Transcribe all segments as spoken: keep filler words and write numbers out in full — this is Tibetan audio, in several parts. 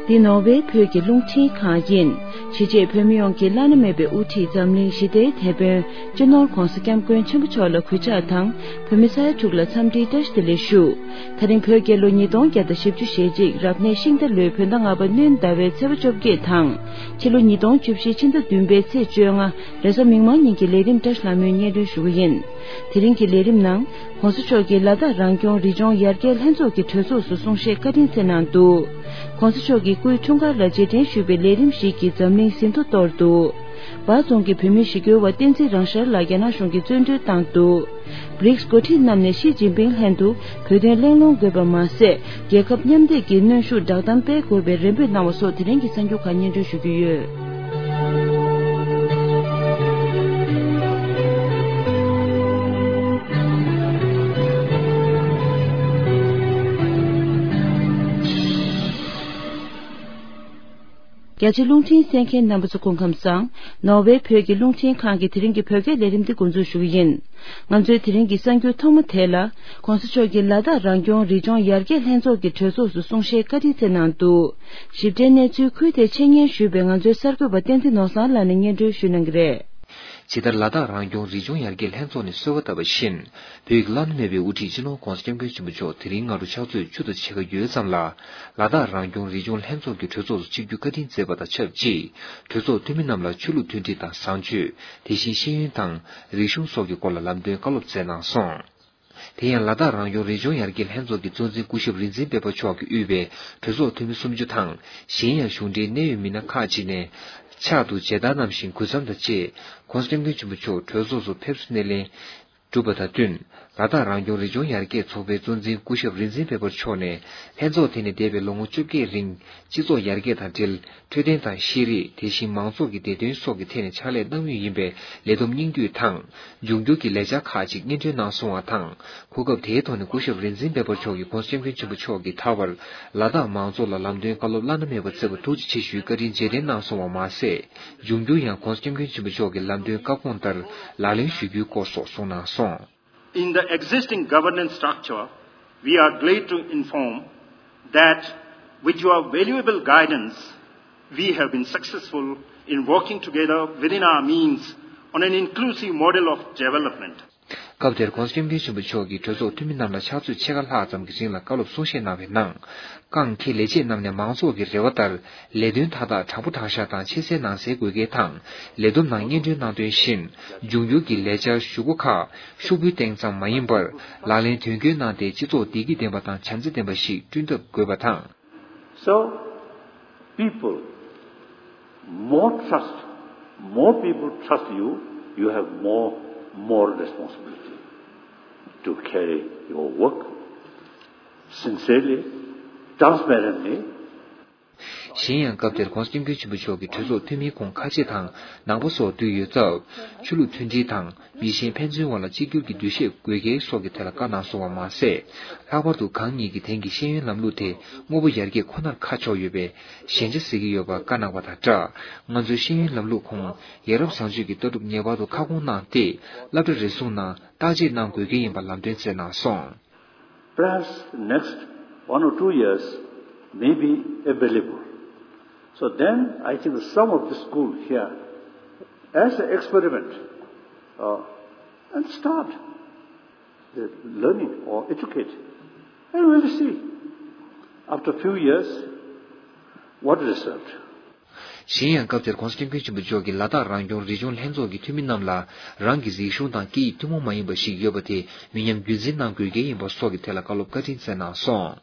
འདི་ནོར་ཝེ་བོད་ཀྱི་རླུང་འཕྲིན་ཁང་ཡིན། ཕྱི་རྗེས་བོད་མི་ཡོངས་ཀྱི་བླ་ན་མེད་པའི་དབུ་ཁྲིད་འཛམ་གླིང་ཞི་བདེའི་དེད་དཔོན་སྤྱི་ནོར་༧གོང་ས་༧སྐྱབས་མགོན་ཆེན་པོ་མཆོག་ལ་གུས་ཕྱག་དང་། བོད་མི་ས་ཡ་དྲུག་ལ་འཚམས་འདྲིའི་བཀྲ་ཤིས་བདེ་ལེགས་ཞུ། ད་རིང་བོད་རྒྱལ་ལོ་ཉིས་སྟོང་བརྒྱ་དང་བཞི་བཅུ་ཞེ་གཅིག་རབ་གནས་ཤིང་རྟ་ལོའི་བོད་ཟླ་ལྔ་པ་སྣྲོན་ཟླ་བའི་ཚེས་པ་བཅོ་བརྒྱད་དང་། ཕྱི་ལོ་ཉིས་སྟོང་བཅུ་བཞི་ཕྱི་ཟླ་བདུན་པའི་ཚེས་བཅོ་ལྔ་རེས་གཟའ་མིག་དམར་ཉིན་གྱི་ལས་རིམ་བཀྲ་ཤིས་ལྷ་མོས་སྙན་སྒྲོན་ཞུ་གི་ཡིན། དེ་རིང་གི་ལས་རིམ་ནང་། ༸གོང་ས་མཆོག་གིས་ལ་དྭགས་རང་སྐྱོང་རི་ལྗོངས་ཡར་རྒྱས་ལྷན་ཚོགས་ཀྱི་གྲོས་ཚོགས་སུ་གསུང་བཤད་བཀའ་དྲིན་སྩལ་གནང་འདུག ༸གོང་ས་མཆོག་གི་སྐུའི་འཁྲུངས་སྐར་ལ་རྗེས་དྲན་ཞུས་པའི་ལས་རིམ་ཞིག་གིས་འཛམ་གླིང་ཟིན་ཐོ་གཏོར་འདུག་འབའ་རྫོང་གི་བོད་མི་ཞི་རྒོལ་བ་བསྟན་འཛིན་རང་ཤར་ལགས་རྒྱ་ནག་གཞུང་གིས་བཙོན་གྲོལ་བཏང་འདུག་བྷི་རིགས་འགོ་ཁྲིད་རྣམས་ནས་ཞི་ཅིན་ཕིང་ལྷན་དུ་བོད་དོན་གླེང་སློང་དགོས་པ་མ་ཟད། རྒྱལ་ཁབ་མཉམ་འདེགས་ཀྱི་གནོན་ཤུགས་བསྒྲགས་གཏམ་སྤེལ་དགོས་པའི་རེ་འབོད་གནང་བ་སོགས་དེ་རིང་གི་གསར་འགྱུར་ཁག་སྙན་སྒྲོན་ཞུ་རྒྱུ་ཡོད། རྒྱ་ཆེ་རླུང་འཕྲིན་གསན་མཁན་རྣམ་པ་ཚོ་སྐུ་ཁམས་བཟང་། ནོར་ཝེ་བོད་ཀྱི་རླུང་འཕྲིན་ཁང་གི་དེ་རིང་གི་བོད་སྐད་ལས་རིམ་འདི་འགོ་འཛུགས་ཞུ་གི་ཡིན། ང་ཚོའི་དེ་རིང་གི་གསར་འགྱུར་ཐོག་མ་དེ་ལ། ༸གོང་ས་མཆོག་གིས་ལ་དྭགས་རང་སྐྱོང་རི་ལྗོངས་ཡར་རྒྱས་ལྷན་ཚོགས་ཀྱི་གྲོས་ཚོགས་སུ་གསུང་བཤད་བཀའ་དྲིན་སྩལ་གནང་འདུག་ཞིབ་ཕྲའི་གནས་ཚུལ་ཁུལ་དེ་འཆད་ཉན་ཞུས་པའི་ང་ཚོའི་གསར་འགོད་པ་བསྟན་འཛིན་ནོར་བཟང་ལགས་ནས་སྙན་སྒྲོན་ཞུ་གནང་གི་རེད། ཇི་ལྟར་ལ་དྭགས་རང་སྐྱོང་རི་ལྗོངས་ཡར་རྒྱས་ལྷན་ཚོགས་ནས་གསོལ་བ་བཏབ་པ་བཞིན། བོད་ཀྱི་བླ་ན་མེད་པའི་དབུ་ཁྲིད་སྤྱི་ནོར་༸གོང་ས་༸སྐྱབས་མགོན་ཆེན་པོ་མཆོག་དེ་རིང་སྔ་དྲོ་ཕྱག་ཚོད་བཅུ་དང་ཕྱེད་ཀ་ཡོལ་ཙམ་ལ། ལ་དྭགས་རང་སྐྱོང་རི་ལྗོངས་ལྷན་ཚོགས་ཀྱི་གྲོས་ཚོགས་སུ་ཆིབས་བསྒྱུར་བཀའ་དྲིན་སྩལ་བ་དང་ཆབས་ཅིག་གྲོས་ཚོགས་འཐུས་མི་རྣམས་ལ་ཆོས་ལུགས་མཐུན་སྒྲིལ་དང་བཟང་སྤྱོད། དེ་བཞིན་ཤེས་ཡོན་དང་རིག་གཞུང་སོགས་ཀྱི་སྐོར་ལ་ལམ་སྟོན་བཀའ་སློབ་སྩལ་གནང་སོང་། དེ་ཡང་ལ་དྭགས་རང་སྐྱོང་རི་ལྗོངས་ཡར་རྒྱས་ལྷན་ཚོགས་ཀྱི་གཙོ་འཛིན་སྐུ་ཞབས་རིག་འཛིན་དཔལ་འབར་མཆོག་གིས་དབུས་པའི་གྲོས་ཚོགས་འཐུས་མི་སུམ་ཅུ་དང་། གཞན་ཡང་གཞུང་འབྲེལ་གནད་ཡོད་མི་སྣ་ཁག་ཅིག་ནས། ཕྱག་ཏུ་མཇལ་དར་བསྣམས་ཤིང་གུས་འཚམས་དང་བཅས། ༸གོང་ས་༸སྐྱབས་མགོན་ཆེན་པོ་མཆོག་གྲོས་ཚོགས་སུ་ཕེབས་བསུ་སྣེ་ལེན་གྲུབ་པ་དང་བསྟུན། ལ་དྭགས་རང་སྐྱོང་རི་ལྗོངས་ཡར་རྒྱས་ཚོགས་པའི་གཙོ་འཛིན་སྐུ་ཞབས་རིག་འཛིན་དཔལ་འབར་མཆོག་ནས། ལྷན་ཚོགས་དེ་ནི་འདས་པའི་ལོ་ངོ་བཅོ་བརྒྱད་རིང་སྤྱི་ཚོགས་ཡར་རྒྱས་དང་འབྲེལ། འཕྲོད་བསྟེན་དང་ཤེས་རིག་དེ་བཞིན་མང་ཚོགས་ཀྱི་བདེ་དོན་སོགས་ཀྱི་ཐད་ནས་ཕྱག་ལས་གནང་མུས་ཡིན་པའི་ལས་བསྡོམས་སྙིང་བསྡུས་དང་། འབྱུང་འགྱུར་གྱི་ལས་འཆར་ཁག་ཅིག་སྙན་སྒྲོན་གནང་སོང་བ་དང་། གོ་སྐབས་དེའི་ཐོག་ནས་སྐུ་ཞབས་རིག་འཛིན་དཔལ་འབར་མཆོག་གིས་༸གོང་ས་༸སྐྱབས་མགོན་ཆེན་པོ་མཆོག་གིས་ད་བར་ལ་དྭགས་མང་ཚོགས་ལ་ལམ་སྟོན་བཀའ་སློབ་བླ་ན་མེད་པ་སྩལ་བར་ཐུགས་རྗེ་ཆེ་ཞུའི་བཀའ་དྲིན་རྗེས་དྲན་གནང་སོང་བ་མ་ཟད། འབྱུང་འགྱུར་ཡང་༸གོང་ས་༸སྐྱབས་མགོན་ཆེན་པོ་མཆོག་གི་ལམ་སྟོན་བཀའ་དགོངས་ལྟར་ལག་ལེན་ཞུ་རྒྱུའི་སྐོར་སོགས་གསུངས་གནང་སོང་། In the existing governance structure, we are glad to inform that with your valuable guidance, we have been successful in working together within our means on an inclusive model of development. སྐབས་དེར་༸གོང་ས་༸སྐྱབས་མགོན་ཆེན་པོ་མཆོག་གིས་གྲོས་ཚོགས་འཐུས་མི་རྣམས་ལ་ཕྱག་ཚོད་ཕྱེད་ཀ་ལྷག་ཙམ་གྱི་རིང་ལ་བཀའ་སློབ་གསུང་བཤད་གནང་བའི་ནང་། རྐང་འཁེལ་ལས་བྱེད་རྣམས་ནས་མང་ཚོགས་ཀྱི་རེ་བ་ལྟར་ལས་དོན་མཐའ་དག་དྲང་པོ་དྲང་བཞག་དང་ཆེ་སའི་ནང་གསལ་དགོས་གལ་དང་། ལས་བསྡོམས་ནང་སྙན་སྒྲོན་གནང་དོན་བཞིན། འབྱུང་འགྱུར་གྱི་ལས་འཆར་ཞུ་སྒོ་ཁག་ཤོག་བུའི་སྟེང་ཙམ་མ་ཡིན་པར་ལག་ལེན་དོན་འཁྱོལ་གནང་སྟེ་སྤྱི་ཚོགས་བདེ་སྐྱིད་ལྡན་པ་དང་བྱམས་བརྩེ་ལྡན་པ་ཞིག་བསྐྲུན་ཐབས་དགོས་པ་དང་། So, people, more trust, more people trust you, you have more, more responsibility to carry your work sincerely, transparently. གཞན་ཡང་སྐབས་དེར་༸གོང་ས་༸སྐྱབས་མགོན་ཆེན་པོ་མཆོག་གིས་གྲོས་ཚོགས་འཐུས་མིའི་ཁོངས་ཁ་ཆེ་དང་ནང་པ་སོགས་འདུས་ཡོད་སྟབས། ཆོས་ལུགས་མཐུན་སྒྲིལ་དང་། མི་ཆེན་ཕན་ཚུན་དབར་ལ་གཅིག་གྱུར་གྱི་འདུ་ཤེས་དགོས་གལ་སོགས་ཀྱི་ཐད་ལ་བཀའ་གནང་སོང་བ་མ་ཟད། ལྷག་པར་དུ་གང་ཉིད་ཀྱིས་དེང་གི་ཤེས་ཡོན་ལམ་ལུགས་དེ་དངོས་པོ་ཡར་རྒྱས་ཁོ་ནར་ཁ་ཕྱོགས་ཡོད་པའི་ཞན་ཆ་གཟིགས་ཀྱི་ཡོད་པར་བཀའ་གནང་བ་དང་སྦྲགས། ང་ཚོའི་ཤེས་ཡོན་ལམ་ལུགས་ཁོངས་ཡ་རབས་བཟང་སྤྱོད་ཀྱི་ལྟ་གྲུབ་ངེས་པར་དུ་ཁ་སྐོང་གནང་སྟེ། སློབ་གྲྭ་རེ་ཟུང་ནང་བརྟག་དཔྱད་གནང་དགོས་གལ་ཡིན་པ་ལམ་སྟོན་སྩལ་གནང་སོང་། Perhaps next one or two years may be available. So then I think some of the school here, as an experiment, uh, and start the learning or educate. And we will see after a few years what result. གཞན་ཡང་སྐབས་དེར་༸གོང་ས་༸སྐྱབས་མགོན་ཆེན་པོ་མཆོག་གིས་ལ་དྭགས་རང་སྐྱོང་རི་ལྗོངས་ལྷན་ཚོགས་ཀྱི་འཐུས་མི་རྣམས་ལ་རང་གི་རིག་གཞུང་དང་སྐད་ཡིག་ཐུན་མོང་མ་ཡིན་པ་ཞིག་ཡོད་པ་དེ་མི་ཉམས་རྒྱུན་འཛིན་གནང་དགོས་གལ་ཡིན་པ་སོགས་ཀྱི་ཐད་ལ་བཀའ་སློབ་བཀའ་དྲིན་སྩལ་གནང་སོང་།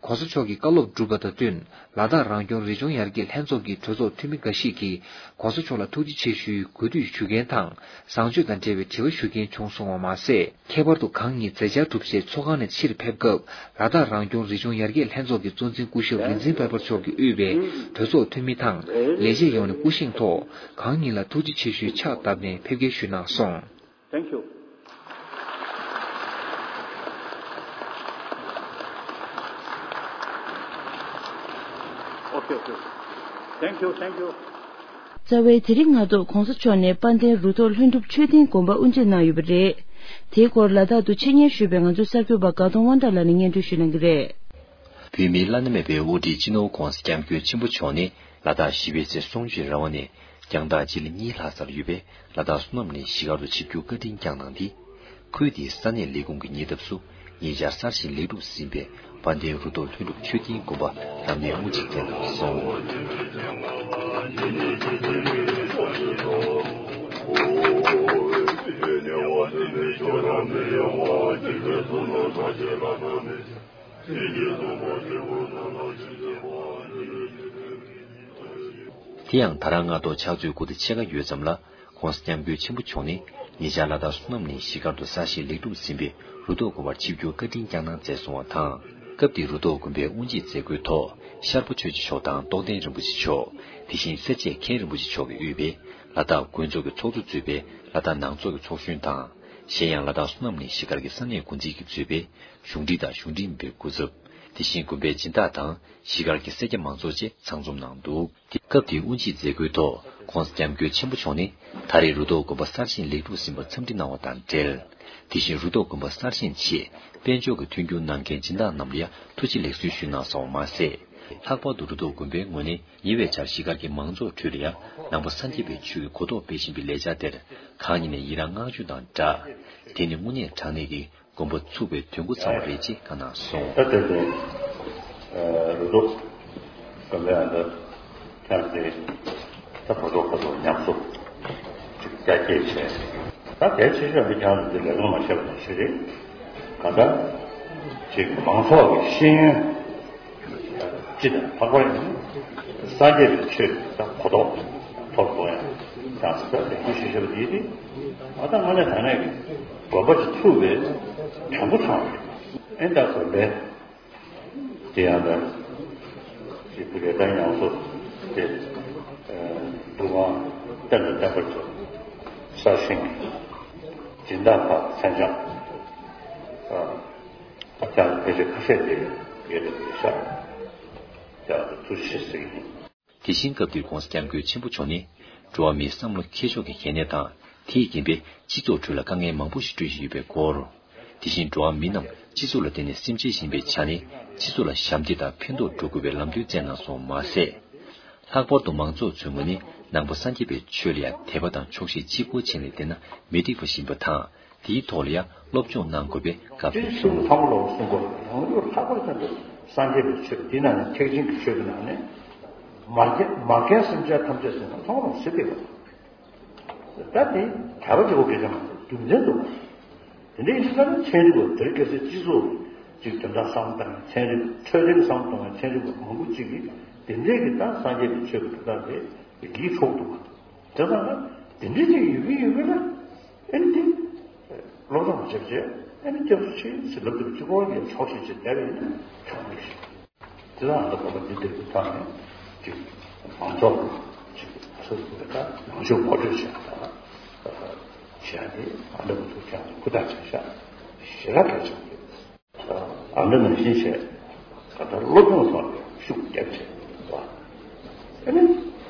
༸གོང་ས་མཆོག་གི་བཀའ་སློབ་གྲུབ་པ་དང་བསྟུན། ལ་དྭགས་རང་སྐྱོང་རི་ལྗོངས་ཡར་རྒྱས་ལྷན་ཚོགས་ཀྱི་གྲོས་ཚོགས་འཐུས་མི་འགའ་ཞིག་གིས་༸གོང་ས་མཆོག་ལ་ཐུགས་རྗེ་ཆེ་ཞུའི་གུས་འདུད་ཞུ་མཁན་དང་། བཟང་སྤྱོད་དང་འབྲེལ་བའི་དྲི་བ་ཞུ་མཁན་བྱུང་སོང་བ་མ་ཟད། ཁྱད་པར་དུ་གང་ཉིད་མཛད་འཆར་གྲུབ་རྗེས་ཚོགས་ཁང་ནས་ཕྱིར་ཕེབས་སྐབས། ལ་དྭགས་རང་སྐྱོང་རི་ལྗོངས་ཡར་རྒྱས་ལྷན་ཚོགས་ཀྱི་གཙོ་འཛིན་སྐུ་ཞབས་རིག་འཛིན་དཔལ་འབར་མཆོག་གིས་དབུས་པའི་གྲོས་ཚོགས་འཐུས་མི་དང་ལས་བྱེད་ཡོངས་ནས་སྐུ་བཞེངས་ཐོག་གང་ཉིད་ལ་ཐུགས་རྗེ་ཆེ་ཞུའི་ཕྱག་བཏབ་ནས་ཕེབས་སྐྱེལ་ཞུས་གནང་སོང་། Thank you. Okay, okay. Thank you, thank you. རྩ་བའི་དེ་རིང་སྔ་དྲོ་༸གོང་ས་མཆོག་ནས་དཔལ་ལྡན་རུ་ཐོག་ལྷུན་གྲུབ་ཆོས་སྡིངས་དགོན་པར་དབུ་འབྱེད་གནང་ཡོད་པ་རེད། དེའི་སྐོར་ལ་དྭགས་དུ་འཆད་ཉན་ཞུས་པའི་ང་ཚོའི་གསར་འགོད་པ་དགའ་གདོང་དབང་གྲགས་ལགས་ནས་སྙན་སྒྲོན་ཞུ་གནང་གི་རེད། བོད་མིའི་བླ་ན་མེད་པའི་དབུ་ཁྲིད་སྤྱི་ནོར་༧གོང་ས་༧སྐྱབས་མགོན་ཆེན་པོ་མཆོག་ནས་ལ་དྭགས་བཞི་པའི་ཚེ་གསུང་ཆོས་ར་བ་ནས་རྒྱང་ཐག་སྤྱི་ལེ་གཉིས་ལྷག་ཙམ་ཡོད་པའི་ལ་དྭགས་བསོད་ནམས་གླིང་གཞིས་སྒར་དུ་ཆིབས་བསྒྱུར་བཀའ་དྲིན་བསྐྱངས་གནང་སྟེ། ཁུལ་དེའི་ས་གནས་ལས་ཁུངས་ཀྱི་ཉེ་འདབས་སུ་ཉེ་ཆར་གསར་བཞེངས་ལེགས་གྲུབ་ཟིན་པའི་དཔལ་ལྡན་རུ་ཐོག་ལྷུན་གྲུབ་མཆོད་རྟེན་དགོན་པ་རབ་གནས་དབུ་འབྱེད་མཛད་གནང་སོང་། དེ་ཡང་ད་རང་སྔ་དྲོ་ཕྱག་ཚོད་དགུ་དང་ཕྱེད་ཀ་ཡོལ་ཙམ་ལ། ༸གོང་ས་༸སྐྱབས་མགོན་ཆེན་པོ་མཆོག་ནས་ཉེ་ཆར་ལ་དྭགས་བསོད་ནམས་གླིང་གཞིས་སྒར་དུ་གསར་བཞེངས་ལེགས་གྲུབ་ཟིན་པའི་རུ་ཐོག་དགོན་པར་ཆིབས་བསྒྱུར་བཀའ་དྲིན་བསྐྱངས་གནང་མཛད་སོང་བ་དང་། སྐབས་དེའི་རུ་ཐོག་དགོན་པའི་དབུ་འབྱེད་མཛད་སྒོའི་ཐོག་ཤར་པ་ཆོས་རྗེ་མཆོག་དང་རྟོགས་ལྡན་རིན་པོ་ཆེ་མཆོག་དེ་བཞིན་སེར་བྱེས་མཁན་རིན་པོ་ཆེ་མཆོག་གིས་དབུས་པའི་ལ་དྭགས་དགོན་ཚོགས་ཀྱི་ཚོགས་གཙོ་གཙོས་པའི་ལ་དྭགས་ནང་ཚོགས་ཀྱི་ཚོགས་གཞོན་དང་། གཞན་ཡང་ལ་དྭགས་བསོད་ནམས་གླིང་གཞིས་སྒར་གྱི་ས་གནས་འགོ་འཛིན་གྱིས་གཙོས་པའི་གཞུང་འབྲེལ་དང་གཞུང་འབྲེལ་མིན་པའི་སྐུ་ཚབ། དེ་བཞིན་དགོན་པའི་སྦྱིན་བདག་དང་གཞིས་སྒར་གྱི་སེར་སྐྱ་མང་ཚོགས་བཅས་ཚང་འཛོམས་གནང་འདུག་དེ་སྐབས་དེའི་དབུ་འབྱེད་མཛད་སྒོའི་ཐོག་༸གོང་ས་༸སྐྱབས་མགོན་ཆེན་པོ་མཆོག་ནས་ད་རེས་རུ་ཐོག་དགོན་པ་གསར་བཞེངས་ལེགས་གྲུབ་ཟིན་པར་འཚམས་འདྲི་གནང་བ་དང་འབྲེལ། དེ་བཞིན་རུ་ཐོག་དགོན་པ་གསར་བཞེངས་ཆེད་དཔལ་འབྱོར་གྱི་མཐུན་འགྱུར་གནང་མཁན་སྦྱིན་བདག་རྣམས་ལ་ཡང་ཐུགས་རྗེ་ལེགས་གསོལ་ཞུས་གནང་སོང་བ་མ་ཟད། ལྷག་པར་དུ་རུ་ཐོག་དགོན་པའི་ངོས་ནས་ཉེ་བའི་ཆར་གཞིས་སྒར་གྱི་མང་ཚོགས་ཁྲོད་ལ་ཡང་ནང་པ་སངས་རྒྱས་པའི་ཆོས་ཀྱི་གོ་རྟོགས་སྤེལ་བཞིན་པའི་ལས་འཆར་དེར་གང་ཉིད་ནས་ཡི་རངས་བསྔགས་བརྗོད་དང་སྦྲགས། དེ་ནི་དངོས་གནས་དྲང་གནས་ཀྱི་དགོན་པ་ཚུགས་པའི་དུས་འགོ་ཚང་བ་རེད་ཅེས་བཀའ་གནང་སོང་། ད་ལྟ་དེ་རུ་ཐོག་དགོན་པའི་ཨ་འདྲ་ཁྱང་དེ་ད་བར་ཐོག་ཁ་ཐོག་ཉམས་གསོ་ཅིག་རྒྱ་སྐྱེད་བྱས། ད་གལ་ཆེ་ཤོས་འདི་ཁྱང་དེ་ལས་ལོང་མ་བྱས་པ་དང་ཞུ་རེད། ག་ད་ཅིག་མང་ཚོགས་ཀྱི་ཤེས་ཡོན། སྤྱི་དང་ལྷག་པར་ཡང་སངས་རྒྱས་པའི་ཆོས་ཀྱི་གོ་རྟོགས་ཐོབ་དགོས་ཡང་དང་ས་ལས་ཀྱི་ཤེས་བྱ་བ་དེ་དེ་ང་ད་དངོས་གནས་དྲང་གནས་ཀྱི་དགོན་པ་ཅིག་ཚུགས་པའི་གྲངས་འབོར་ཚང་བ་རེད། ཨེ་ད་གོ་ལས་དེ་ཡང་ད་ཅིག་བུ་ལས་ད་ཡང་སོ་དེ་འདུ་ཁང་བསྟན་དང་བསྟན་པར་ཚོ་གསར་བཞེངས་ཀྱི་སྦྱིན་བདག་ཁག་མཚན་བྱང་། ད་ལྟ་ཕལ་ཆེར་ཁ་ཤས་དེ་ཡོད་དེ་ཡོད་ཤག་ཡག་ཏུ་ཐུགས་རྗེ་ཆེ་ཟེར་གྱི་ཡིན། དེ་བཞིན་སྐབས་དེར་༸གོང་ས་༸སྐྱབས་མགོན་ཆེན་པོ་མཆོག་ནས་འགྲོ་བ་མིའི་བསམ་བློ་འཁྱེར་ཕྱོགས་ཀྱི་གལ་གནད་དང་། དེས་རྐྱེན་པས་སྤྱི་ཚོགས་ཁྲོད་ལ་དཀའ་ངལ་མང་པོ་ཞིག་སྤྲོད་བཞིན་ཡོད་པའི་སྐོར། དེ་བཞིན་འགྲོ་བ་མི་རྣམས་སྤྱི་ཚོགས་ལ་བརྟེན་ནས་སེམས་ཅན་ཡིན་པའི་ཆ་ནས་སྤྱི་ཚོགས་ལ་ཞབས་འདེགས་དང་ཕན་ཐོགས་འགྲོ་དགོས་པའི་ལམ་སྟོན་བསྩལ་གནང་སོང་མ་ཟད། ལྷག་པར་དུ་མང་ཚོགས་ཚོའི་ངོས་ནས་ནང་པ་སངས་རྒྱས་པའི་ཆོས་ལ་ཡང་དད་པ་དང་ཆོག་ཤེས་གཅིག་པུ་བྱས་ནས་བསྡད་ན་མི་འགྲིག་པ་ཞིག་ཡིན་པ་དང་། དེའི་ཐོག་ལ་ཡང་སློབ་སྦྱོང་གནང་དགོས་པའི་དགའ་བསུ་གསུངས། ཚང་མ་ལོག་གསུང་དགོས། རང་ལུགས་ལྷག་པར་དུ་སངས་རྒྱས་པའི་ཆོས་འདི་ནང་ནས་ཐེག་ཆེན་གྱི་ཆོས་ཀྱི་ནང་ནས་མ་རྒན་མ་རྒན་སེམས་ཅན་ཐམས་ཅད་ཟེར་ན་ཚང་མ་ལོག་ཟེར་བསྡད་པ། ད་དེ་གྲྭ་པ་གཅིག་པོ་སྐད་ཆ་མ་རེད། རྒྱུ་མཚན་འདུག་པ། དེ་འདྲ་ཡིན་དུས་ཙང་ནས་ཚན་རིག་པ་དེར་སྐད་ཆ་སྤྱི་ཚོགས་ཀྱི་དོན་དག་བསམ་བཏང་ཚན་རིག་འཕྲོད་བསྟེན་བསམ་གཏོང་བའི་ཚན་རིག་པ་མང་པོ་གཅིག་གིས་དེ་འདྲའི་གི་ད་སངས་རྒྱས་པའི་ཆོས་ཀྱི་དོན་དག་དེ་ཡིད་འཕྲོག་འདུག་པ། དེ་ཙང་ན་དེ་འདྲའི་ཅིག་ཡོད་ཀྱི་ཡོད་ཀྱི་ན། ཨེ་འདི་སློབ་སྦྱོང་བྱེད་བྱེད་ཨེ་འདི་སྐྱབས་སུ་མཆི་ཟེར་ལབ་དུས་གཅིག་པོ་གི་ཆོག་ཤེས་བྱེད་བསྡད་པ་ཡིན་ན་ཆོག་མི་ཤེས། དེ་ལ་ང་ཚོ་དགོན་པ་འདི་འདིར་གི་ཐོག་ནས་ཅིག་མང་ཚོགས་ཀྱི་ཅིག་སོ་སོ་གི་ད་ནང་ཆོས་ངོ་སྤྲོད་བྱེད་ཡག་དང་བྱེད་ཡག་དེ་ང་འདྲ་པོ་ཚོ་ཀྱང་ཧུར་ཐག་བྱེད་ཤག་ཞེ་དྲག་གལ་ཆེན་པོ་རེད། ཨ་འདྲ་ནང་བཞིན་བྱས་ག་ད་སློབ་སྦྱོང་ཐོག་ནས་ཤུགས་རྒྱབ་བྱས་པ། ཨ་ནི་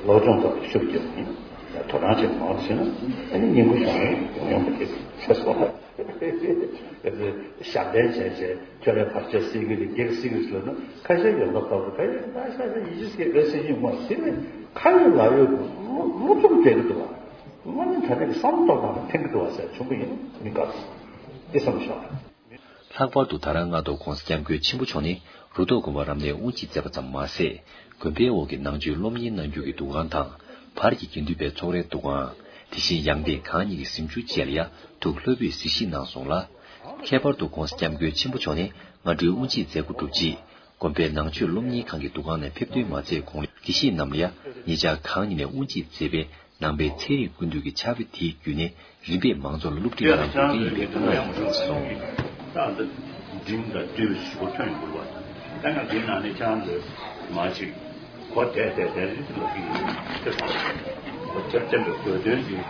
སློབ་སྦྱོང་ཐོག་ནས་ཤུགས་རྒྱབ་ནས་དོ་སྣང་བྱེད་མང་བ་བྱས་ན་ཨ་ནི་སྙིང་པོ་བྱུང་ནས་ཡོང་ཡོང་པ་དེ་ཤེས་སོང་ལ། ཞབས་བརྟན་བྱས་བྱས་ཁྱོད་རའི་བར་ཆད་སེལ་གྱི་རེད་བགེགས་སེལ་གྱི་རེད་ཟེར་ན་ཁ་ཤས་ཡོད་མདོག་ཁ་པོ་ད་ཡིན་ད་ཤ་ཤ་ཡིད་ཆེས་སྐད་བེད་སེ་ཡིན་མ་ཟེར་ནས་ཁ་ཡོད་ལག་ཡོད་ཀྱི་སློབ་སློབ་སྦྱོང་བྱེད་ཀྱི་འདུག་བ། དངོས་གནས་ད་ལྟ་གི་བསམ་བློ་གཏོང་སྟངས་ལ་ཕན་གྱི་འདུག་བ་ཟེར་བྱུང་གི་ཡིན་མི་དགའ་སོང་། འདི་བསམ་ཤོག་ལྷག་པར་དུ་ད་རང་སྔ་དྲོ་༸གོང་ས་༸སྐྱབས་མགོན་ཆེན་པོ་མཆོག་ནས་རུ་ཐོག་དགོན་པ་རབ་གནས་དབུ་འབྱེད་མཛད་པ་ཙམ་མ་ཟད། དགོན་པའི་འོག་གི་ནང་ཆོས་སློབ་གཉེར་གནང་རྒྱུ་གི་འདུ་ཁང་དང་། བར་གྱི་དགེ་འདུན་པའི་ཚོགས་རའི་འདུ་ཁང་། དེ་བཞིན་ཡང་སྟེང་གང་ཉིད་ཀྱི་གཟིམ་ཆུང་བཅས་ལ་ཡང་ཐུགས་ལྷོད་པོས་གཟིགས་ཞིབ་གནང་སོང་ལ། ཁྱད་པར་དུ་༸གོང་ས་༸སྐྱབས་མགོན་ཆེན་པོ་མཆོག་ནས་སྔ་དྲོའི་དབུ་འབྱེད་མཛད་སྒོ་གྲུབ་རྗེས། དགོན་པའི་ནང་ཆོས་སློབ་གཉེར་ཁང་གི་འདུ་ཁང་ནས་ཕེབས་ཐོན་མ་མཛད་གོང་ལ་དགེ་བཤེས་རྣམས་ལ་ཡང་ཉེ་ཆར་གང་ཉིད་ནས་དབུ་འབྱེད་མཛད་པའི་ནང་པའི་ཚན་རིག་ཀུན་བཏུས་ཀྱི་ཕྱག་དཔེ་དེའི་བརྒྱུད་ནས་རིམ་པས་མང་ཚོགས་ལ་སློབ་ཁྲིད་གནང་དགོས་ཀྱི་ཡིན་པའི་བཀའ་མོལ་ཡང་གནང་སོང་། ད་ལྟ་འབྲིང་དང་བསྡུས་པའི་ཞུ་སྒོ་ཐོན་ཡོང་གི་རེད་བ། ད་ང་འདིའི་ནང་ནས་ཅང་འདོད་མ་ཅིག་གོ་བསྡད་བསྡད་བསྡད་རེད་ལབ་ཀྱི་ཡིན། དེ་ཚོ་གོ་ཐེབས་ཐེབས་པའི་དགོས་དོན་གྱིས་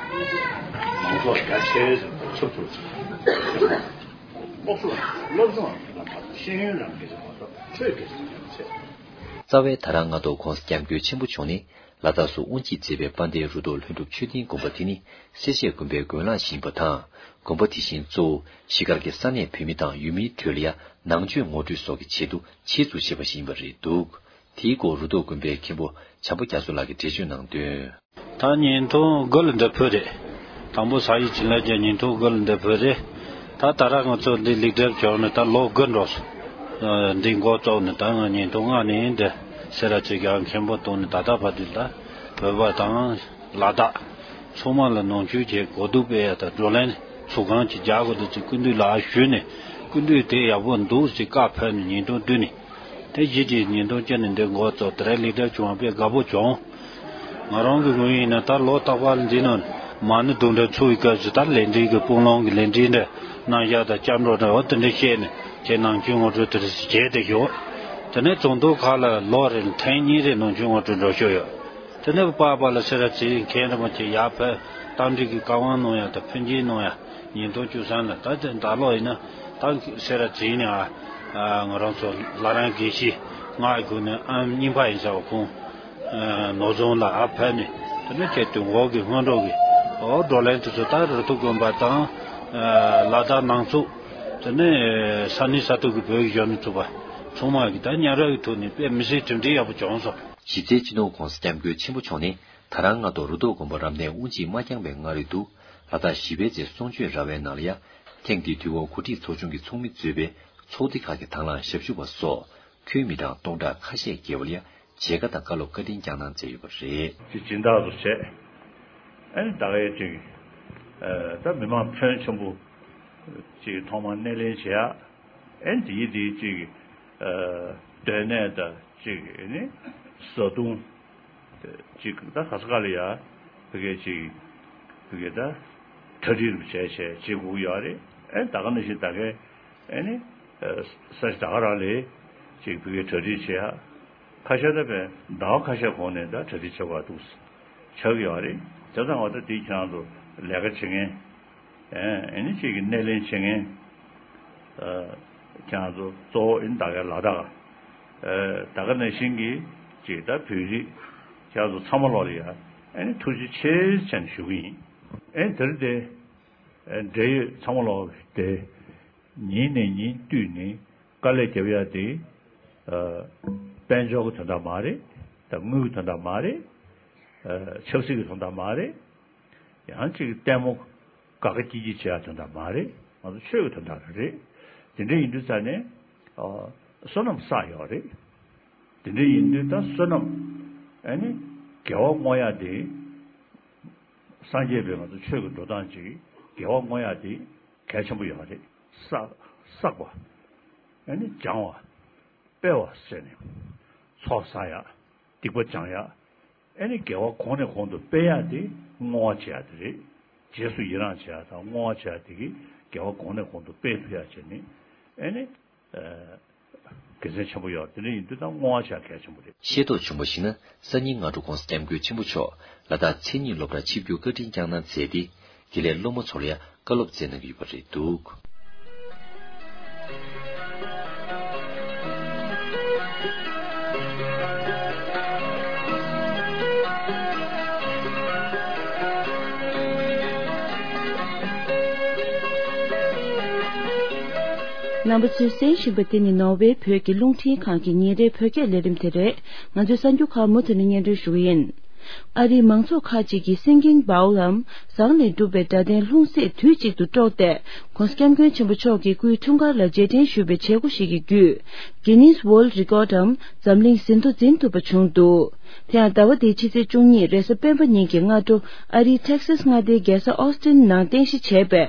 མང་ཚོགས་རྒྱ་ཆེ་ཙམ་ཁྱབ་ཐུབ་ཅིག་སློབ་གསོ་སློབ་སྦྱོང་ལ་མ་གཏོགས་ཤེས་ཡོན་ལ་སྐད་ཆ་མ་གཏོགས་ཆོས་སྐད་ཆ་མ་ཚད། རྩ་བའི་ད་རང་སྔ་དྲོ་༸གོང་ས་༸སྐྱབས་མགོན་ཆེན་པོ་མཆོག་ནས་ལ་དྭགས་སུ་དབུ་འབྱེད་མཛད་པའི་དཔལ་ལྡན་རུ་ཐོག་ལྷུན་གྲུབ་མཆོད་རྟེན་དགོན་པ་དེ་ནི་སེར་བྱེས་དགོན་པའི་དགོན་ལག་ཞིག་ཡིན་པ་དང་། དགོན་པ་དེ་བཞིན་གཙོ་བོ་གཞིས་སྒར་གྱི་ས་གནས་བོད་མི་དང་ཡུལ་མིའི་ཁྲོད་ལ་ཡང་ནང་ཆོས་ངོ་སྤྲོད་སོགས་ཀྱི་ཆེད་དུ་ཆེད་འཛུགས་བྱས་པ་ཞིག་ཡིན་པ་རེད་འདུག་དེའི་སྐོར་རུ་ཐོག་དགོན་པའི་མཁན་པོ་བྱམས་པ་རྒྱ་མཚོ་ལགས་ཀྱིས་འགྲེལ་བརྗོད་གནང་དོན། ད་བརྙན་ཐུང་དགུ་ལ་འདི་ཕུལ་རེད། དང་པོ་ས་ཡི་བྱིན་རླབས་ཀྱི་བརྙན་ཐུང་དགུ་ལ་འདི་ཕུལ་རེད། ད་ད་ར་ང་ཚོ་འདི་ལེགས་གྲུབ་བྱུང་ནས་ད་ལོ་དགུ་འགྲོ་སོང་། འདི་འགོ་བཙུགས་ནས་ད་ང་བརྙན་ཐུང་ལྔ་ནས་འདི་སེ་ར་བྱེས་ཀྱི་མཁན་པོ་བཏང་ནས་ད་ལྟ་བར་དུ་ད་བོད་པ་དང་ལ་དྭགས་ཚང་མ་ལ་ནང་ཆོས་ཀྱི་གོ་བསྡུར་སྤེལ་ཡ་དང་བགྲོ་གླེང་ཚོགས་ཁང་ཅིག་རྒྱག་དགོས་འདུག་ཅེས་སྐུ་མདུན་ལ་ཞུས་ནས། སྐུ་མདུན་དེ་ཡག་པོ་འདུག་ཅེས་བཀའ་ཕེབས་ནས་བརྙན་ཐུང་བསྡུས་ནས། དེ་བཞིན་གྱི་བརྙན་ཐུང་བསྐྱལ་ནས་འདི་འགོ་བཙུགས། དེ་རིང་ལེགས་གྲུབ་བྱུང་བ་དཔེ་དགའ་པོ་བྱུང་། ང་རང་གི་ངོས་ཡིན་ན་ད་ལོ་རྟག་པར་འདི་ནང་མ་ཎི་རྡུང་གྲ་ཚུགས་པའི་སྐབས་སུ་ད་ལས་འབྲེལ་གྱི་དཔུང་ལོང་གི་ལས་འབྲེལ་འདྲ་གནང་ཡག་དང་སྐྱབས་འགྲོ་འདྲ་འོ་དེ་འདྲ་བཤད་ནས་ཁྱེད་ནང་ཆོས་ངོ་སྤྲོད་དེ་རེ་བྱས་ཏེ་ཡོད། དེ་ནས་ཚོགས་འདུ་ཁག་ལ་ལོ་རེར་ཐེངས་གཉིས་རེ་ནང་ཆོས་ངོ་སྤྲོད་འགྲོ་ཤོག་ཡོད། དེ་ནས་པ་པ་ལ་སེ་ར་བྱེས་མཁན་རིན་པོ་ཆེ་ཡར་ཕེབས་རྟ་མགྲིན་གྱི་བཀའ་དབང་གནང་ཡག་དང་ཕན་ཆེན་གནང་ཡག་བརྙན་ཐུང་བཅུ་གསུམ་ལ་ད་ལྟ་ལོ་ཡིན་ན་ད་སེ་ར་བྱེས་ནས་ཨ་ང་རང་ཚོ་བླ་བྲང་དགེ་བཤེས་ང་ཡི་སྒོ་ནས་ཨམ་རྙིང་པ་ཡིན་ས་བ་ཁོང་ནོར་བཟང་ལགས་ཨ་ཕེབས་ནས་དེ་ནས་ཁྱེད་དུས་འགོག་གི་སྔོན་འགྲོ་གི་ཨོ་བགྲོ་གླེང་དེ་ཚོ་ད་རུ་ཐུག་དགོན་པ་དང་ལ་དྭགས་ནང་ཚུགས་དེ་ནས་ས་གནས་ས་ཐོག་གི་བོད་ཀྱི་གཞོན་ནུ་ཚོགས་པ་ཚང་མ་གི་ད་མཉམ་རུབ་ཀྱི་ཐོག་ནས་དཔེ་མི་སྲིད་གྲུབ་འབྲས་ཡག་པོ་བྱུང་སོང་། གཞི་རྩའི་སྤྱི་ནོར་༸གོང་ས་༸སྐྱབས་མགོན་ཆེན་པོ་མཆོག་ནས་ད་རང་སྔ་དྲོ་རུ་ཐོག་དགོན་པ་རབ་གནས་དབུ་འབྱེད་མ་བསྐྱངས་པའི་སྔ་རོལ་དུ་ལ་དྭགས་གཞིས་སྤེལ་རྩེ་གསུང་ཆོས་ར་བའི་ནང་ལ་ཡང་ཐེངས་འདིའི་དུས་འཁོར་གོ་སྒྲིག་ཚོགས་ཆུང་གི་ཚོགས་མི་གཙོས་པའི་ཚོགས་སྡེ་ཁག་གི་དང་བླངས་ཞབས་ཞུ་བ་སོགས་ཁྱོན་མི་གྲངས་སྟོང་ཕྲག་ཁ་ཤས་བརྒལ་བ་ལ་ཡང་མཇལ་ཁ་དང་བཀའ་སློབ་བཀའ་དྲིན་བསྐྱངས་གནང་མཛད་ཡོད་པ་རེད། ཅིག་སྦྱིན་བདག་ཏུ་བྱས། ཨ་ནི་ད་གའི་ཅིག་ད་མི་མང་ཕོན་ཆེན་པོ་ཅིག་ཐོག་མར་སྣེ་ལེན་བྱེད་ཡ། ཨ་ནི་དེའི་དེའི་ཅིག་སྡོད་གནས་དང་ཅིག་ཨ་ནི་བཟའ་བཏུང་ཅིག་ད་ག་ས་ག་ལ་ཡ་བི་གའི་ཅིག་བི་གའི་ད་གྲ་སྒྲིག་རུ་བྱས་བྱས་བྱེད་དགོས་ཀྱི་ཡོད་རེད། ཨ་ནི་ད་ག་ནང་བཞིན་ད་གའི་ཨ་ནི་ས་ཆ་ད་ག་རང་ལ་ཅིག་བི་གའི་གྲ་སྒྲིག་བྱེད་ཡ། ཁ་ཤས་ད་བས་ཟླ་བ་ཁ་ཤས་གོང་ནས་ད་གྲ་སྒྲིག་བྱེད་དགོས་འདུག་ཆགས་ཀྱི་ཡོད་རེད། བྱས་ཙང་ང་ད་དེ་ཁྱེད་རང་ཚོ་ལས་ཀ་བྱེད་མཁན་ཨེ་ཨེ་ནི་ཅིག་གི་སྣེ་ལེན་བྱེད་མཁན་ཁྱེད་རང་ཚོ་གཙོ་བོ་ཨེ་ནི་ད་གའི་ལ་དྭགས་ཨེ་ད་ག་ནང་བཞིན་གྱི་ཅིག་ད་བོད་རིགས་ཁྱེད་རང་ཚོ་ཚང་མ་ལོག་ལ་ཡ་ཨེ་ནི་ཐུགས་རྗེ་ཆེ་ཟེར་ནས་ཞུ་གི་ཡིན། ཨེ་ནི་དེ་རིང་དེ་ཨེ་འབྲེལ་ཡོད་ཚང་མ་ལོག་དེ། ཉིན་ནས་ཉིན་བསྟུད་ནས་དཀའ་ལས་རྒྱབ་ཡ་དེ། ཨ། དཔལ་འབྱོར་གྱི་དོན་དག་མ་རེད། དང་དངུལ་གྱི་དོན་དག་མ་རེད། ཨ། ཆབ་སྲིད་ཀྱི་དོན་དག་མ་རེད། ཡང་ཅིག་ལྟད་མོ་དགའ་དགའ་སྐྱིད་སྐྱིད་བྱེད་ཡ་དོན་དག་མ་རེད། ང་ཚོ་ཆོས་ཀྱི་དོན་དག་རེད། དེ་འདྲ་ཡིན་དུས་ཙང་ནས། ཨ། བསོད་ནམས་བསགས་ཡོད་རེད། དེ་འདྲ་ཡིན་དུས་ད་བསོད་ནམས་ཨ་ནི་དགེ་བ་བསྔོ་ཡ་དེ། སངས་རྒྱས་པའི་ང་ཚོ་ཆོས་ཀྱི་འགྲོ་སྟངས་ཅིག་དགེ་བ་བསྔོ་ཡ་དེ་གལ་ཆེན་པོ་ཡོད་རེད། བསགས་བསགས་པ། ཨ་ནི་སྦྱང་བ། སྤེལ་བ་ཟེར་ནས། ཚོགས་བསགས་ཡ། སྡིག་པ་སྦྱང་ཡ། ཨ་ནི་དགེ་བ་གོང་ནས་གོང་དུ་སྤེལ་ཡ་དེ་བསྔོ་བ་བྱེད་ཡ་དེ་རེད། རྗེས་སུ་ཡི་རང་བྱེད་ཡ་དང་བསྔོ་བ་བྱེད་ཡ་དེ་གིས་དགེ་བ་གོང་ནས་གོང་དུ་སྤེལ་ཐུབ་ཡ་བྱས་ནས་ཨ་ནི། ཨ། དགེ་མཚན་ཆེན་པོ་ཡོད། དེ་འདྲ་ཡིན་དུས་ད་བསྔོ་བ་བྱ་གལ་ཆེན་པོ་རེད། ཤེས་རྟོགས་བྱུང་བ་ཞིག་ན་སང་ཉིན་སྔ་དྲོ་༸གོང་ས་༸སྐྱབས་མགོན་ཆེན་པོ་མཆོག་ལ་དྭགས་མཚན་ཉིད་སློབ་གྲྭར་ཆིབས་བསྒྱུར་བཀའ་དྲིན་བསྐྱངས་གནང་མཛད་དེ། དགེ་ལས་སློབ་མ་ཚོ་ལ་ཡང་བཀའ་སློབ་སྩལ་གནང་གི་ཡོད་པ་རེད་འདུག་རྣམ་པ་ཚོས་གསན་བཞིན་པ་དེ་ནི་ནོར་ཝེ་བོད་ཀྱི་རླུང་འཕྲིན་ཁང་གི་ཉིན་རེའི་བོད་སྐད་ལས་རིམ་དེ་རེད། ང་ཚོའི་གསར་འགྱུར་ཁག་མུ་མཐུད་ནས་སྙན་སྒྲོན་ཞུ་གི་ཡིན། ཨ་རིའི་མང་ཚོགས་ཁག་ཅིག་གིས་སིང་གིང་བའོ་ལམ་ཟངས་ལས་གྲུབ་པའི་སྒྲ་ལྡན་ལྷུང་བཟེད་དུས་གཅིག་ཏུ་དཀྲོགས་ཏེ། ༸གོང་ས་༸སྐྱབས་མགོན་ཆེན་པོ་མཆོག་གི་སྐུའི་འཁྲུངས་སྐར་ལ་རྗེས་དྲན་ཞུ་བའི་བྱེད་སྒོ་ཞིག་གི་བརྒྱུད། Guinness World Record འམ་འཛམ་གླིང་ཟིན་ཐོ་འཛིན་ཐུབ་པ་བྱུང་འདུག་དེ་ཡང་ཟླ་བ་འདིའི་ཕྱི་ཚེས་བཅུ་གཉིས་རེས་གཟའ་སྤེན་པ་ཉིན་གྱི་སྔ་དྲོ་ཨ་རིའི་ཊེག་སཱས་མངའ་སྡེའི་རྒྱལ་ས་ཨོ་སི་ཊིན་ནང་རྟེན་གཞི་བྱས་པའི་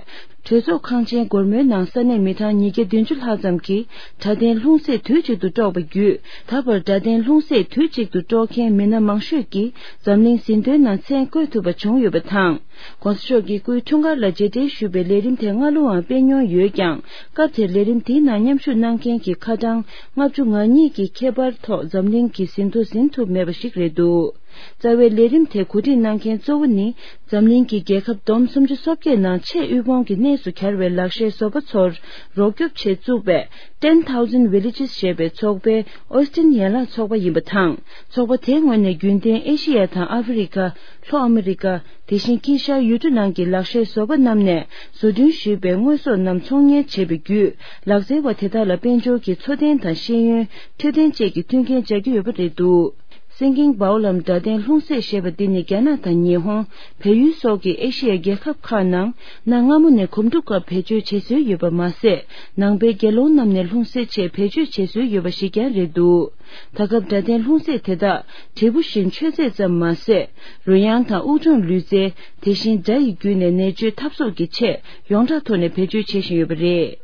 གྲོས་ཚོགས་ཁང་ཆེན་སྒོར་མོའི་ནང་ས་གནས་མི་གྲངས་ཉིས་བརྒྱ་བདུན་ཅུ་ལྷག་ཙམ་གྱིས་སྒྲ་ལྡན་ལྷུང་བཟེད་དུས་གཅིག་ཏུ་དཀྲོགས་པ་བརྒྱུད། ད་བར་སྒྲ་ལྡན་ལྷུང་བཟེད་དུས་གཅིག་ཏུ་དཀྲོགས་མཁན་མི་སྣ་མང་ཤོས་ཀྱིས་འཛམ་གླིང་ཟིན་ཐོའི་ནང་མཚན་བཀོད་ཐུབ་པ་བྱུང་ཡོད་པ་དང་། ༸གོང་ས་མཆོག་གི་སྐུའི་འཁྲུངས་སྐར་ལ་རྗེས་དྲན་ཞུ་བའི་ལས་རིམ་དེ་སྔ་ལོའང་སྤེལ་མྱོང་ཡོད་ཀྱང་། སྐབས་དེར་ལས་རིམ་དེའི་ནང་མཉམ་ཞུགས་གནང་མཁན་གྱི་ཁ་གྲངས་ལྔ་བཅུ་ང་གཉིས་ཀྱི་ཁྱད་པར་ཐོག་འཛམ་གླིང་གི་ཟིན་ཐོ་ཟིན་ཐུབ་མེད་པ་ཞིག་རེད་འདུག་རྩ་བའི་ལས་རིམ་དེ་གོ་སྒྲིག་གནང་མཁན་གཙོ་བོ་ནི། འཛམ་གླིང་གི་རྒྱལ་ཁབ་བསྡོམས་སུམ་ཅུ་སོ་བརྒྱད་ནང་ཆེས་དབུལ་ཕོངས་ཀྱི་གནས་སུ་གྱར་བའི་ལག་ཤེས་བཟོ་པ་ཚོར་རོགས་སྐྱོབ་ཆེད་བཙུགས་པའི་Ten Thousand Villages ཞེས་པའི་ཚོགས་པའི་ཨོ་སི་ཊིན་ཡན་ལག་ཚོགས་པ་ཡིན་པ་དང་། ཚོགས་པ་དེའི་ངོས་ནས་རྒྱུན་ལྡན་ཨེ་ཤི་ཡ་དང་ཨ་ཧྥེ་རི་ཁ། ལྷོ་ཨ་མི་རི་ཀ། དེ་བཞིན་དཀྱིལ་ཤར། ཡུལ་གྲུ་ནང་གི་ལག་ཤེས་བཟོ་པ་རྣམས་ནས་བཟོ་སྐྲུན་ཞུས་པའི་དངོས་ཟོག་རྣམས་ཚོང་གཉེར་བྱེད་པའི་བརྒྱུད། ལག་རྩལ་བ་དེ་དག་ལ་དཔལ་འབྱོར་གྱི་འཚོ་རྟེན་དང་ཤེས་ཡོན། འཕྲོད་བསྟེན་བཅས་ཀྱི་མཐུན་རྐྱེན་སྦྱར་གྱི་ཡོད་པ་རེད་འདུག། སེང་གེ་བའོ་ལམ་སྒྲ་ལྡན་ལྷུང་བཟེད་ཞེས་པ་འདི་ནི་རྒྱ་ནག་དང་ཉི་ཧོང་། བལ་ཡུལ་སོགས་ཀྱི་ཨེ་ཤི་ཡའི་རྒྱལ་ཁབ་ཁག་ནང་གནའ་སྔ་མོ་ནས་གོམ་སྒྲུབ་སྐབས་བེད་སྤྱོད་བྱེད་སྲོལ་ཡོད་པ་མ་ཟད། ནང་པའི་དགེ་སློང་རྣམས་ནས་ལྷུང་བཟེད་ཆེད་བེད་སྤྱོད་བྱེད་སྲོལ་ཡོད་པ་ཞིག་ཀྱང་རེད་འདུག། ད་སྐབས་སྒྲ་ལྡན་ལྷུང་བཟེད་དེ་དག་འབྲས་བུ་བཞིན་མཆོད་རྫས་ཙམ་མ་ཟད། རོལ་དབྱངས་དང་དབུགས་གྲངས་ལུས་རྩལ། དེ་བཞིན་སྒྲ་ཡི་བརྒྱུད་ནས་ནད་བཅོས་ཐབས་སོགས་ཀྱི་ཆེད་ཡོངས་གྲགས་ཐོག་ནས་བེད་སྤྱོད་བྱེད་བཞིན་ཡོད་པ་རེད།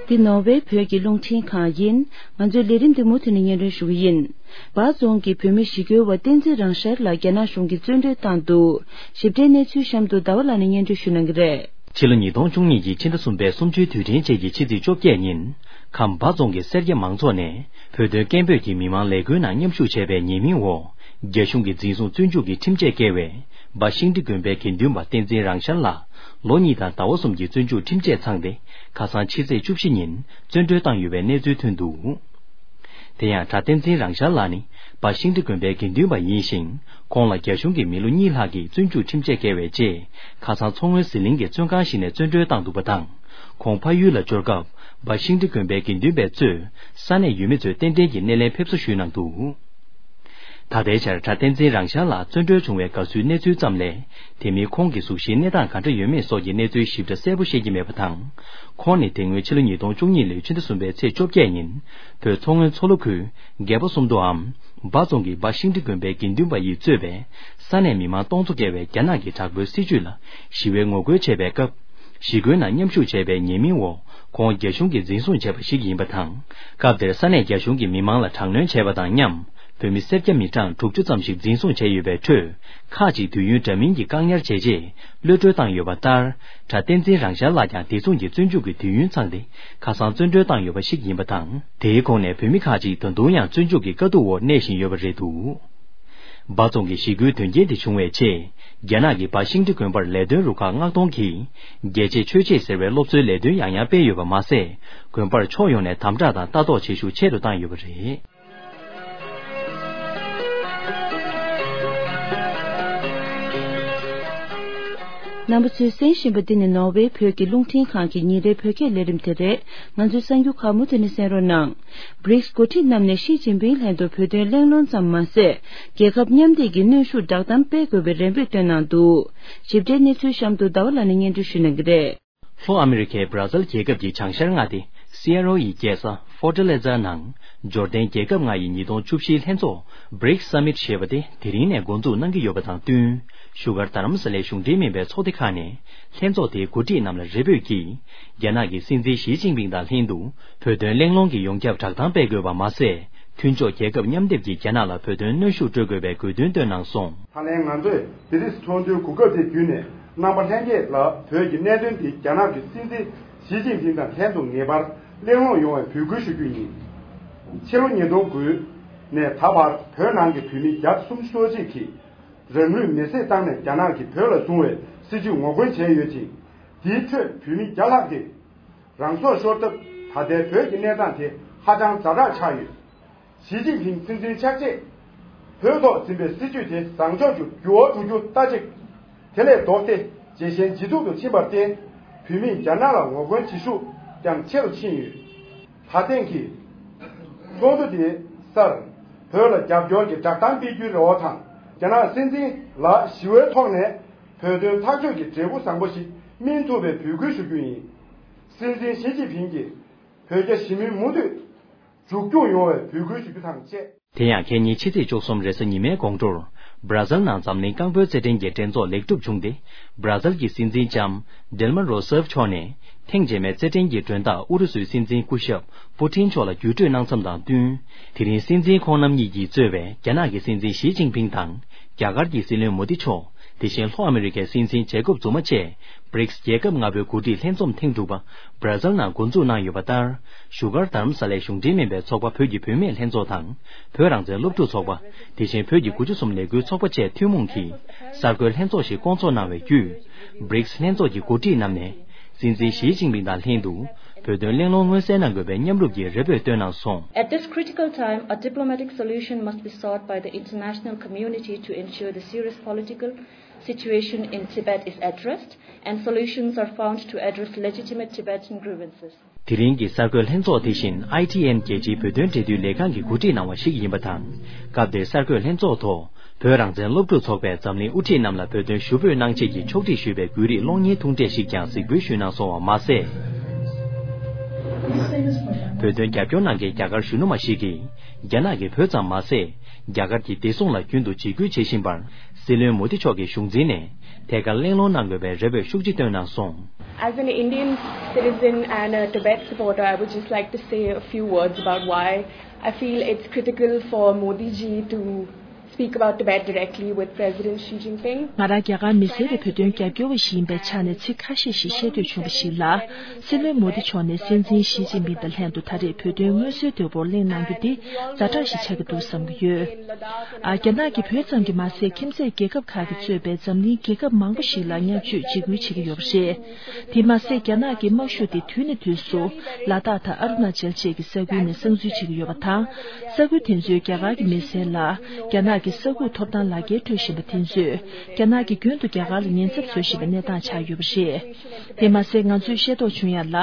འདི་ནོར་ཝེ་བོད་ཀྱི་རླུང་འཕྲིན་ཁང་ཡིན། ང་ཚོའི་ལས་རིམ་འདི་མུ་མཐུད་ནས་སྙན་སྒྲོན་ཞུ་གི་ཡིན། འབའ་རྫོང་གི་བོད་མི་ཞི་རྒོལ་བ་བསྟན་འཛིན་རང་ཤར་ལགས་རྒྱ་ནག་གཞུང་གིས་བཙོན་གྲོལ་བཏང་འདུག། ཞིབ་ཕྲའི་གནས་ཚུལ་གཤམ་དུ་ཟླ་བ་ལགས་ནས་སྙན་སྒྲོན་ཞུ་གནང་གི་རེད། ཕྱི་ལོ་ཉིས་སྟོང་བཅུ་གཉིས་ཀྱི་ཕྱི་ཟླ་གསུམ་པའི་གསུམ་བཅུའི་དུས་དྲན་རྗེས་ཀྱི་ཕྱི་ཚེས་བཅོ་བརྒྱད་ཉིན། ཁམས་འབའ་རྫོང་གི་སེར་སྐྱ་མང་ཚོགས་ནས་བོད་དོན་སྐད་འབོད་ཀྱིས་མི་མང་ལས་འགུལ་ནང་མཉམ་ཞུགས་བྱས་པའི་ཉེས་མིང་འོག་རྒྱ་གཞུང་གིས་འཛིན་བཟུང་བཙོན་འཇུག་གི་ཁྲིམས་ཆད་བཀལ་བའི་འབའ་ཤིང་འབྲི་དགོན་པའི་དགེ་འདུན་པ་བསྟན་འཛིན་རང་ཤར་ལགས་ལོ་གཉིས་དང་ཟླ་བ་གསུམ་གྱི་བཙོན་འཇུག་ཁྲིམས་ཆད་ཚང་སྟེ་ཁ་སང་ཕྱི་ཚེས་བཅུ་བཞི་ཉིན་བཙོན་གྲོལ་བཏང་ཡོད་པའི་གནས་ཚུལ་ཐོན་འདུག། དེ་ཡང་གྲྭ་བསྟན་འཛིན་རང་ཤར་ལགས་ནི་འབའ་ཤིང་འབྲི་དགོན་པའི་དགེ་འདུན་པ་ཡིན་ཞིང་། ཁོང་ལ་རྒྱ་གཞུང་གིས་མི་ལོ་གཉིས་ལྷག་གི་བཙོན་འཇུག་ཁྲིམས་ཆད་བཀལ་བའི་རྗེས། ཁ་སང་མཚོ་སྔོན་ཟི་ལིང་གི་བཙོན་ཁང་ཞིག་ནས་བཙོན་གྲོལ་བཏང་འདུག་པ་དང་། ཁོང་ཕ་ཡུལ་ལ་འབྱོར་སྐབས། འབའ་ཤིང་འབྲི་དགོན་པའི་དགེ་འདུན་པས་གཙོས། ས་གནས་ཡུལ་མི་ཚོས་རྟེན་འབྲེལ་གྱི་སྣེ་ལེན་ཕེབས་བསུ་ཞུས་གནང་འདུག། ད་ལྟའི་ཆར་གྲྭ་བསྟན་འཛིན་རང་ཤར་ལགས་བཙོན་གྲོལ་བྱུང་བའི་དགའ་བསུའི་གནས་ཚུལ་ཙམ་ལས། དེ་མིན་ཁོང་གི་གཟུགས་གཞིའི་གནས་སྟངས་ག་འདྲ་ཡོད་མེད་སོགས་ཀྱི་གནས་ཚུལ་ཞིབ་ཕྲ་གསལ་པོ་ཤེས་ཀྱི་མེད་པ་དང་། ཁོང་ནི་དེ་སྔོན་ཕྱི་ལོ་ཉིས་སྟོང་བཅུ་གཉིས་ལོའི་ཕྱི་ཟླ་གསུམ་པའི་ཚེས་བཅོ་བརྒྱད་ཉིན། བོད་མཚོ་སྔོན་མཚོ་ལྷོ་ཁུལ་སྒལ་པ་སུམ་མདོའམ། འབའ་རྫོང་གི་འབའ་ཤིང་འབྲི་དགོན་པའི་དགེ་འདུན་པ་ཡིས་གཙོས་པའི་ས་གནས་མི་མང་སྟོང་ཚོ་བརྒལ་བས་རྒྱ་ནག་གི་དྲག་པོའི་སྲིད་བྱུས་ལ་ཞི་བའི་ངོ་རྒོལ་བྱས་པའི་སྐབས། ཞི་རྒོལ་ནང་མཉམ་ཞུགས་བྱས་པའི་ཉེས་མིང་འོག་ཁོང་རྒྱ་གཞུང་གིས་འཛིན་བཟུང་བྱས་པ་ཞིག་ཡིན་པ་དང་། སྐབས་དེར་ས་གནས་རྒྱ་གཞུང་གིས་མི་མང་ལ་དྲག་གནོན་བྱས་པ་དང་མཉམ། བོད་མི་སེར་སྐྱ་མི་གྲངས་དྲུག་ཅུ་ཙམ་ཞིག་འཛིན་བཟུང་བྱས་ཡོད་པའི་ཁྲོད། ཁག་ཅིག་དུས་ཡུན་འདྲ་མིན་གྱི་བཀག་ཉར་བྱས་རྗེས་གློད་གྲོལ་བཏང་ཡོད་པ་ལྟར། གྲྭ་བསྟན་འཛིན་རང་ཤར་ལགས་ཀྱང་དེ་མཚུངས་ཀྱི་བཙོན་འཇུག་གི་དུས་ཡུན་ཚང་སྟེ་ཁ་སང་བཙོན་གྲོལ་བཏང་ཡོད་པ་ཞིག་ཡིན་པ་དང་། དེའི་ཁོངས་ནས་བོད་མི་ཁག་ཅིག་ད་དུང་ཡང་བཙོན་འཇུག་གི་དཀའ་སྡུག་འོག་གནས་བཞིན་ཡོད་པ་རེད་འདུག། འབའ་རྫོང་གི་ཞི་རྒོལ་དོན་རྐྱེན་དེ་བྱུང་བའི་རྗེས། རྒྱ་ནག་གི་འབའ་ཤིང་འབྲི་དགོན་པར་ལས་དོན་རུ་ཁག་མངགས་གཏོང་གིས། རྒྱལ་གཅེས་ཆོས་གཅེས་ཟེར་བའི་སློབ་གསོའི་ལས་དོན་ཡང་ཡང་སྤེལ་ཡོད་པ་མ་ཟད། དགོན་པར་ཕྱོགས་ཡོངས་ནས་དམ་དྲག་དང་ལྟ་རྟོག་བྱེད་ཤུགས་ཆེ་རུ་བཏང་ཡོད་པ་རེད། རྣམ་པ་ཚོས་གསན་བཞིན་པ་འདི་ནི་ནོར་ཝེ་བོད་ཀྱི་རླུང་འཕྲིན་ཁང་གི་ཉིན་རེའི་བོད་སྐད་ལས་རིམ་དེ་རེད། ང་ཚོའི་གསར་འགྱུར་ཁག་མུ་མཐུད་ནས་གསན་རོགས་གནང་། བྷྲིགས་འགོ་ཁྲིད་རྣམས་ནས་ཞི་ཅིན་ཕིང་ལྷན་དུ་བོད་དོན་གླེང་སློང་ཙམ་མ་ཟད། རྒྱལ་ཁབ་མཉམ་འདེགས་ཀྱི་གནོན་ཤུགས་བསྒྲགས་གཏམ་སྤེལ་དགོས་པའི་རེ་འབོད་བཏོན་གནང་འདུག། ཞིབ་ཕྲའི་གནས་ཚུལ་གཤམ་དུ་ཟླ་བ་ལགས་ནས་སྙན་སྒྲོན་ཞུ་གནང་གི་རེད། ལྷོ་ཨ་མི་རི་ཀའི་བྷ་ར་ཛིལ་རྒྱལ་ཁབ་ཀྱི་བྱང་ཤར་མངའ་སྡེ་སི་ཨེ་རོ་ཡི་རྒྱལ་ས་ཧྥོར་ཊ་ལེ་ཛ་ནང་འབྱོར་ལྡན་རྒྱལ་ཁབ་ལྔ་ཡི་ཉིས་སྟོང་བཅུ་བཞིའི་ལྷན་ཚོགས་བྷྲིགས་སམ་མིཊ་ཞེས་པ་དེ་དེ་རིང་ནས་འགོ་འཛུགས་གནང་གི་ཡོད་པ་དང་བསྟུན། བཞུགས་སྒར་རྡ་རམ་ས་ལའི་གཞུང་འབྲེལ་མིན་པའི་ཚོགས་སྡེ་ཁག་ནས་ལྷན་ཚོགས་དེའི་འགོ་ཁྲིད་རྣམས་ལ་རེ་འབོད་ཀྱིས། རྒྱ་ནག་གི་སྲིད་འཛིན་ཞི་ཅིན་ཕིང་དང་ལྷན་དུ་བོད་དོན་གླེང་སློང་གི་ཡོངས་ཁྱབ་བསྒྲགས་གཏམ་སྤེལ་དགོས་པ་མ་ཟད། མཐུན་ཕྱོགས་རྒྱལ་ཁབ་མཉམ་སྡེབ་ཀྱིས་རྒྱ་ནག་ལ་བོད་དོན་གནོན་ཤུགས་སྤྲོད་དགོས་པའི་དགོས་འདུན་བཏོན་གནང་སོང་། ད་ལན་ང་ཚོས་བྷི་རིས་ཚོགས་འདུའི་གོ་སྐབས་དེ་བརྒྱུད་ནས་རྣམ་པ་ལྷན་རྒྱས་ལ་བོད་ཀྱི་གནད་དོན་འདི་རྒྱ་ནག་གི་སྲིད་འཛིན་ཞི་ཅིན་ཕིང་དང་ལྷན་དུ་ངེས་པར་གླེང་སློང་ཡོང་བའི་འབོད་སྐུལ་ཞུ་རྒྱུ་ཡིན། ཕྱི་ལོ་ཉིས་སྟོང་དགུ་ནས་ད་བར་བོད་ནང་གི་བོད་མི་བརྒྱ་དང་སུམ་ཅུ་སོ་གཅིག་གིས་རང་ལུས་མེར་སྲེག་བཏང་ནས་རྒྱ་ནག་གིས་བོད་ལ་བཟུང་བའི་སྲིད་བྱུས་ངོ་རྒོལ་བྱས་ཡོད་ཅིང་། དེའི་ཁྲོད་བོད་མི་བརྒྱ་ལྷག་གིས་རང་སྲོག་ཤོར་སྟབས། ད་ལྟའི་བོད་ཀྱི་གནས་སྟངས་དེ་ཧ་ཅང་ཛ་དྲག་ཆགས་ཡོད། ཞི་ཅིན་ཕིང་སྲིད་འཛིན་ཆགས་རྗེས། བོད་ཐོག་འཛིན་པའི་སྲིད་བྱུས་དེ་བཟང་ཕྱོགས་སུ་འགྱུར་བ་འགྲོ་རྒྱུ་ལྟ་ཅི། དེ་ལས་ལྡོག་སྟེ་ཇེ་ཞན་ཇེ་སྡུག་ཏུ་ཕྱིན་པར་བརྟེན། བོད་མིས་རྒྱ་ནག་ལ་ངོ་རྒོལ་བྱེད་ཤུགས་ཀྱང་ཆེ་རུ་ཕྱིན་ཡོད། ད་ཐེངས་ཀྱི་ཚོགས་འདུ་དེའི་སར། བོད་ལ་རྒྱབ་སྐྱོར་གྱི་བསྒྲགས་གཏམ་སྤེལ་རྒྱུའི་རེ་བ་དང་། རྒྱ་ནག་སྲིད་འཛིན་ལ་ཞི་བའི་ཐོག་ནས་བོད་དོན་ཐག་གཅོད་ཀྱི་འབྲས་བུ་བཟང་པོ་ཞིག་སྨིན་ཐུབ་པའི་འབོད་སྐུལ་ཞུ་རྒྱུ་ཡིན། སྲིད་འཛིན་ཞི་ཅིན་ཕིང་གིས་བོད་རྒྱ་ཞི་མོལ་མུ་མཐུད་མཇུག་སྐྱོང་ཡོང་བའི་འབོད་སྐུལ་ཞུ་རྒྱུ་དང་བཅས། དེ་ཡང་ཁ་ཉིན་ཕྱི་ཚེས་བཅུ་གསུམ་རེས་གཟའ་ཉི་མའི་དགོང་དྲོར། བྷ་ར་ཛིལ་ནང་འཛམ་གླིང་རྐང་སྤོལ་རྩེད་འགྲན་གྱི་འགྲན་ཚོགས་ལེགས་གྲུབ་བྱུང་སྟེ། བྷ་ར་ཛིལ་གྱི་སྲིད་འཛིན་ལྕམ་ཌིལ་མ་རོ་སེབ་མཆོག་ནས། ཐེངས་རྗེས་མའི་རྩེད་འགྲན་གྱི་མགྲོན་བདག་ཨུ་རུ་སུའི་སྲིད་འཛིན་སྐུ་ཞབས་པུ་ཏིན་མཆོག་ལ་བརྒྱུད་སྤྲོད་གནང་མཚམས་དང་བསྟུན། དེ་རིང་སྲིད་འཛིན་ཁོང་རྣམ་གཉིས་ཀྱིས་གཙོས་པའི་རྒྱ་ནག་གི་སྲིད་འཛིན་ཞི་ཅིན་ཕིང་དང་། རྒྱ་གར་གྱི་སྲིད་བློན་མོ་དི་མཆོག། དེ་བཞིན་ལྷོ་ཨ་མི་རི་ཀའི་སྲིད་འཛིན་ཇེ་ཀོབ་ཛུ་མ་བཅས། བྷྲིགས་རྒྱལ་ཁབ་ལྔ་པོའི་འགོ་ཁྲིད་ལྷན་འཛོམས་ཐེངས་དྲུག་པ་བྷ་ར་ཛིལ་ནང་འགོ་འཛུགས་གནང་ཡོད་པ་ལྟར། བཞུགས་སྒར་རྡ་རམ་ས་ལའི་གཞུང་འབྲེལ་མིན་པའི་ཚོགས་པ་བོད་ཀྱི་བུད་མེད་ལྷན་ཚོགས་དང་། བོད་རང་བཙན་སློབ་ཕྲུག་ཚོགས་པ། དེ་བཞིན་བོད་ཀྱི་དགུ་བཅུ་གསུམ་ལས་འགུལ་ཚོགས་པ་བཅས་ཐུན་མོང་གིས་གསར་འགོད་ལྷན་ཚོགས་ཤིག་བསྐོང་ཚོགས་གནང་བའི་བརྒྱུད། བྷྲིགས་ལྷན་ཚོགས་ཀྱི་འགོ་ཁྲིད་རྣམས་ནས། སྲིད་འཛིན་ཞི་ཅིན་ཕིང་དང་ལྷན་དུ། བོད་དོན་གླེང་སློང་མངོན་གསལ་གནང་དགོས་པའི་མཉམ་རུབ་ཀྱི་རེ་འབོད་བཏོན་གནང་སོང་། At this critical time, a diplomatic solution must be sought by the international community to ensure the serious political situation in Tibet is addressed and solutions are found to address legitimate Tibetan grievances. དེ་རིང་གི་གསར་འགོད་ལྷན་ཚོགས་དེ་བཞིན་ཨའི་ཊི་ཨེན་རྒྱལ་སྤྱིའི་བོད་དོན་འབྲེལ་མཐུད་ལས་ཁང་གིས་གོ་སྒྲིག་གནང་བ་ཞིག་ཡིན་པ་དང་། སྐབས་དེའི་གསར་འགོད་ལྷན་ཚོགས་ཐོག་བོད་རང་བཙན་སློབ་ཕྲུག་ཚོགས་པས་འཛམ་གླིང་དབུ་ཁྲིད་རྣམས་ལ་བོད་དོན་ཞུ་འབོད་གནང་ཆེད་ཀྱི་ཕྱོགས་སྒྲིག་ཞུས་པའི་བརྒྱུད་རིམ་གློག་བརྙན་ཐུང་གྲས་ཤིག་ཀྱང་གཟིགས་འབུལ་ཞུས་གནང་སོང་བ་མ་ཟད། བོད་དོན་རྒྱབ་སྐྱོར་གནང་མཁན་རྒྱ་གར་གཞོན་ནུ་མ་ཞིག་གིས། རྒྱ་ནག་གིས་བོད་ཙམ་མ་ཟད། རྒྱ་གར་གྱི་བདེ་སྲུང་ལ་རྒྱུན་དུ་འཇིགས་སྐུལ་བྱེད་བཞིན་པར། སྲིད་བློན་མོ་དི་མཆོག་གི་གཞུང་འཛིན་ནས་ཐད་ཀར་གླེང་སློང་གནང་དགོས་པའི་རེ་འབོད་ཤུགས་ཆེ་བཏོན་གནང་སོང་། As an Indian citizen and a Tibet supporter, I would just like to say a few words about why I feel it's critical for Modi ji to speak about Tibet directly with President Xi Jinping. ང་རང་རྒྱ་གར་མི་སེར་རེད། བོད་དོན་རྒྱབ་སྐྱོར་བ་ཞིག་ཡིན་པའི་ཆ་ནས་ཚིག་ཁ་ཤས་ཤིག་བཤད་འདོད་བྱུང་བ་ཞིག་ལ། སྲིད་བློན་མོ་དི་མཆོག་ནས་སྲིད་འཛིན་ཞི་ཅིན་ཕིང་དང་ལྷན་དུ་ད་རེས་བོད་དོན་མངོན་གསལ་དོད་པོར་གླེང་གནང་རྒྱུ་འདི་ཛ་དྲག་ཞིག་ཆགས་ཀྱི་འདུག་བསམ་གྱི་ཡོད། ཨ། རྒྱ་ནག་གིས་བོད་ཙམ་གྱིས་མ་ཟད། ཁྱིམ་མཚེས་རྒྱལ་ཁབ་ཁག་གིས་གཙོས་པའི་འཛམ་གླིང་རྒྱལ་ཁབ་མང་པོ་ཞིག་ལ་བརྙས་བཅོས་འཇིགས་སྐུལ་བྱེད་ཀྱི་ཡོད་པ་རེད། དེ་མ་ཟད། རྒྱ་ནག་གི་དམག་ཤུགས་དེ་དུས་ནས་དུས་སུ་ལ་དྭགས་དང་ཨ་རུ་ན་ཅལ་བཅས་ཀྱི་ས་ཁུལ་ནས་གསང་འཛུལ་བྱེད་ཀྱི་ཡོད་པ་དང་། ས་ཁུལ་དེ་ཚོའི་རྒྱ་གར་གྱི་མི་སེར་ལ་རྒྱ་ནག་གི་ས་ཁུག་ཐོབ་ཐང་ལག་འཁྱེར་སྤྲོད་བཞིན་པ་དེ་ཚོས། རྒྱ་ནག་གིས་རྒྱུན་དུ་རྒྱ་གར་ལ་ཉེན་ཚབས་བཟོ་བཞིན་པའི་གནས་སྟངས་ཆགས་ཡོད་པ་རེད། དེ་མ་ཟད། ང་ཚོས་ཤེས་རྟོགས་བྱུང་ཡ་ལ།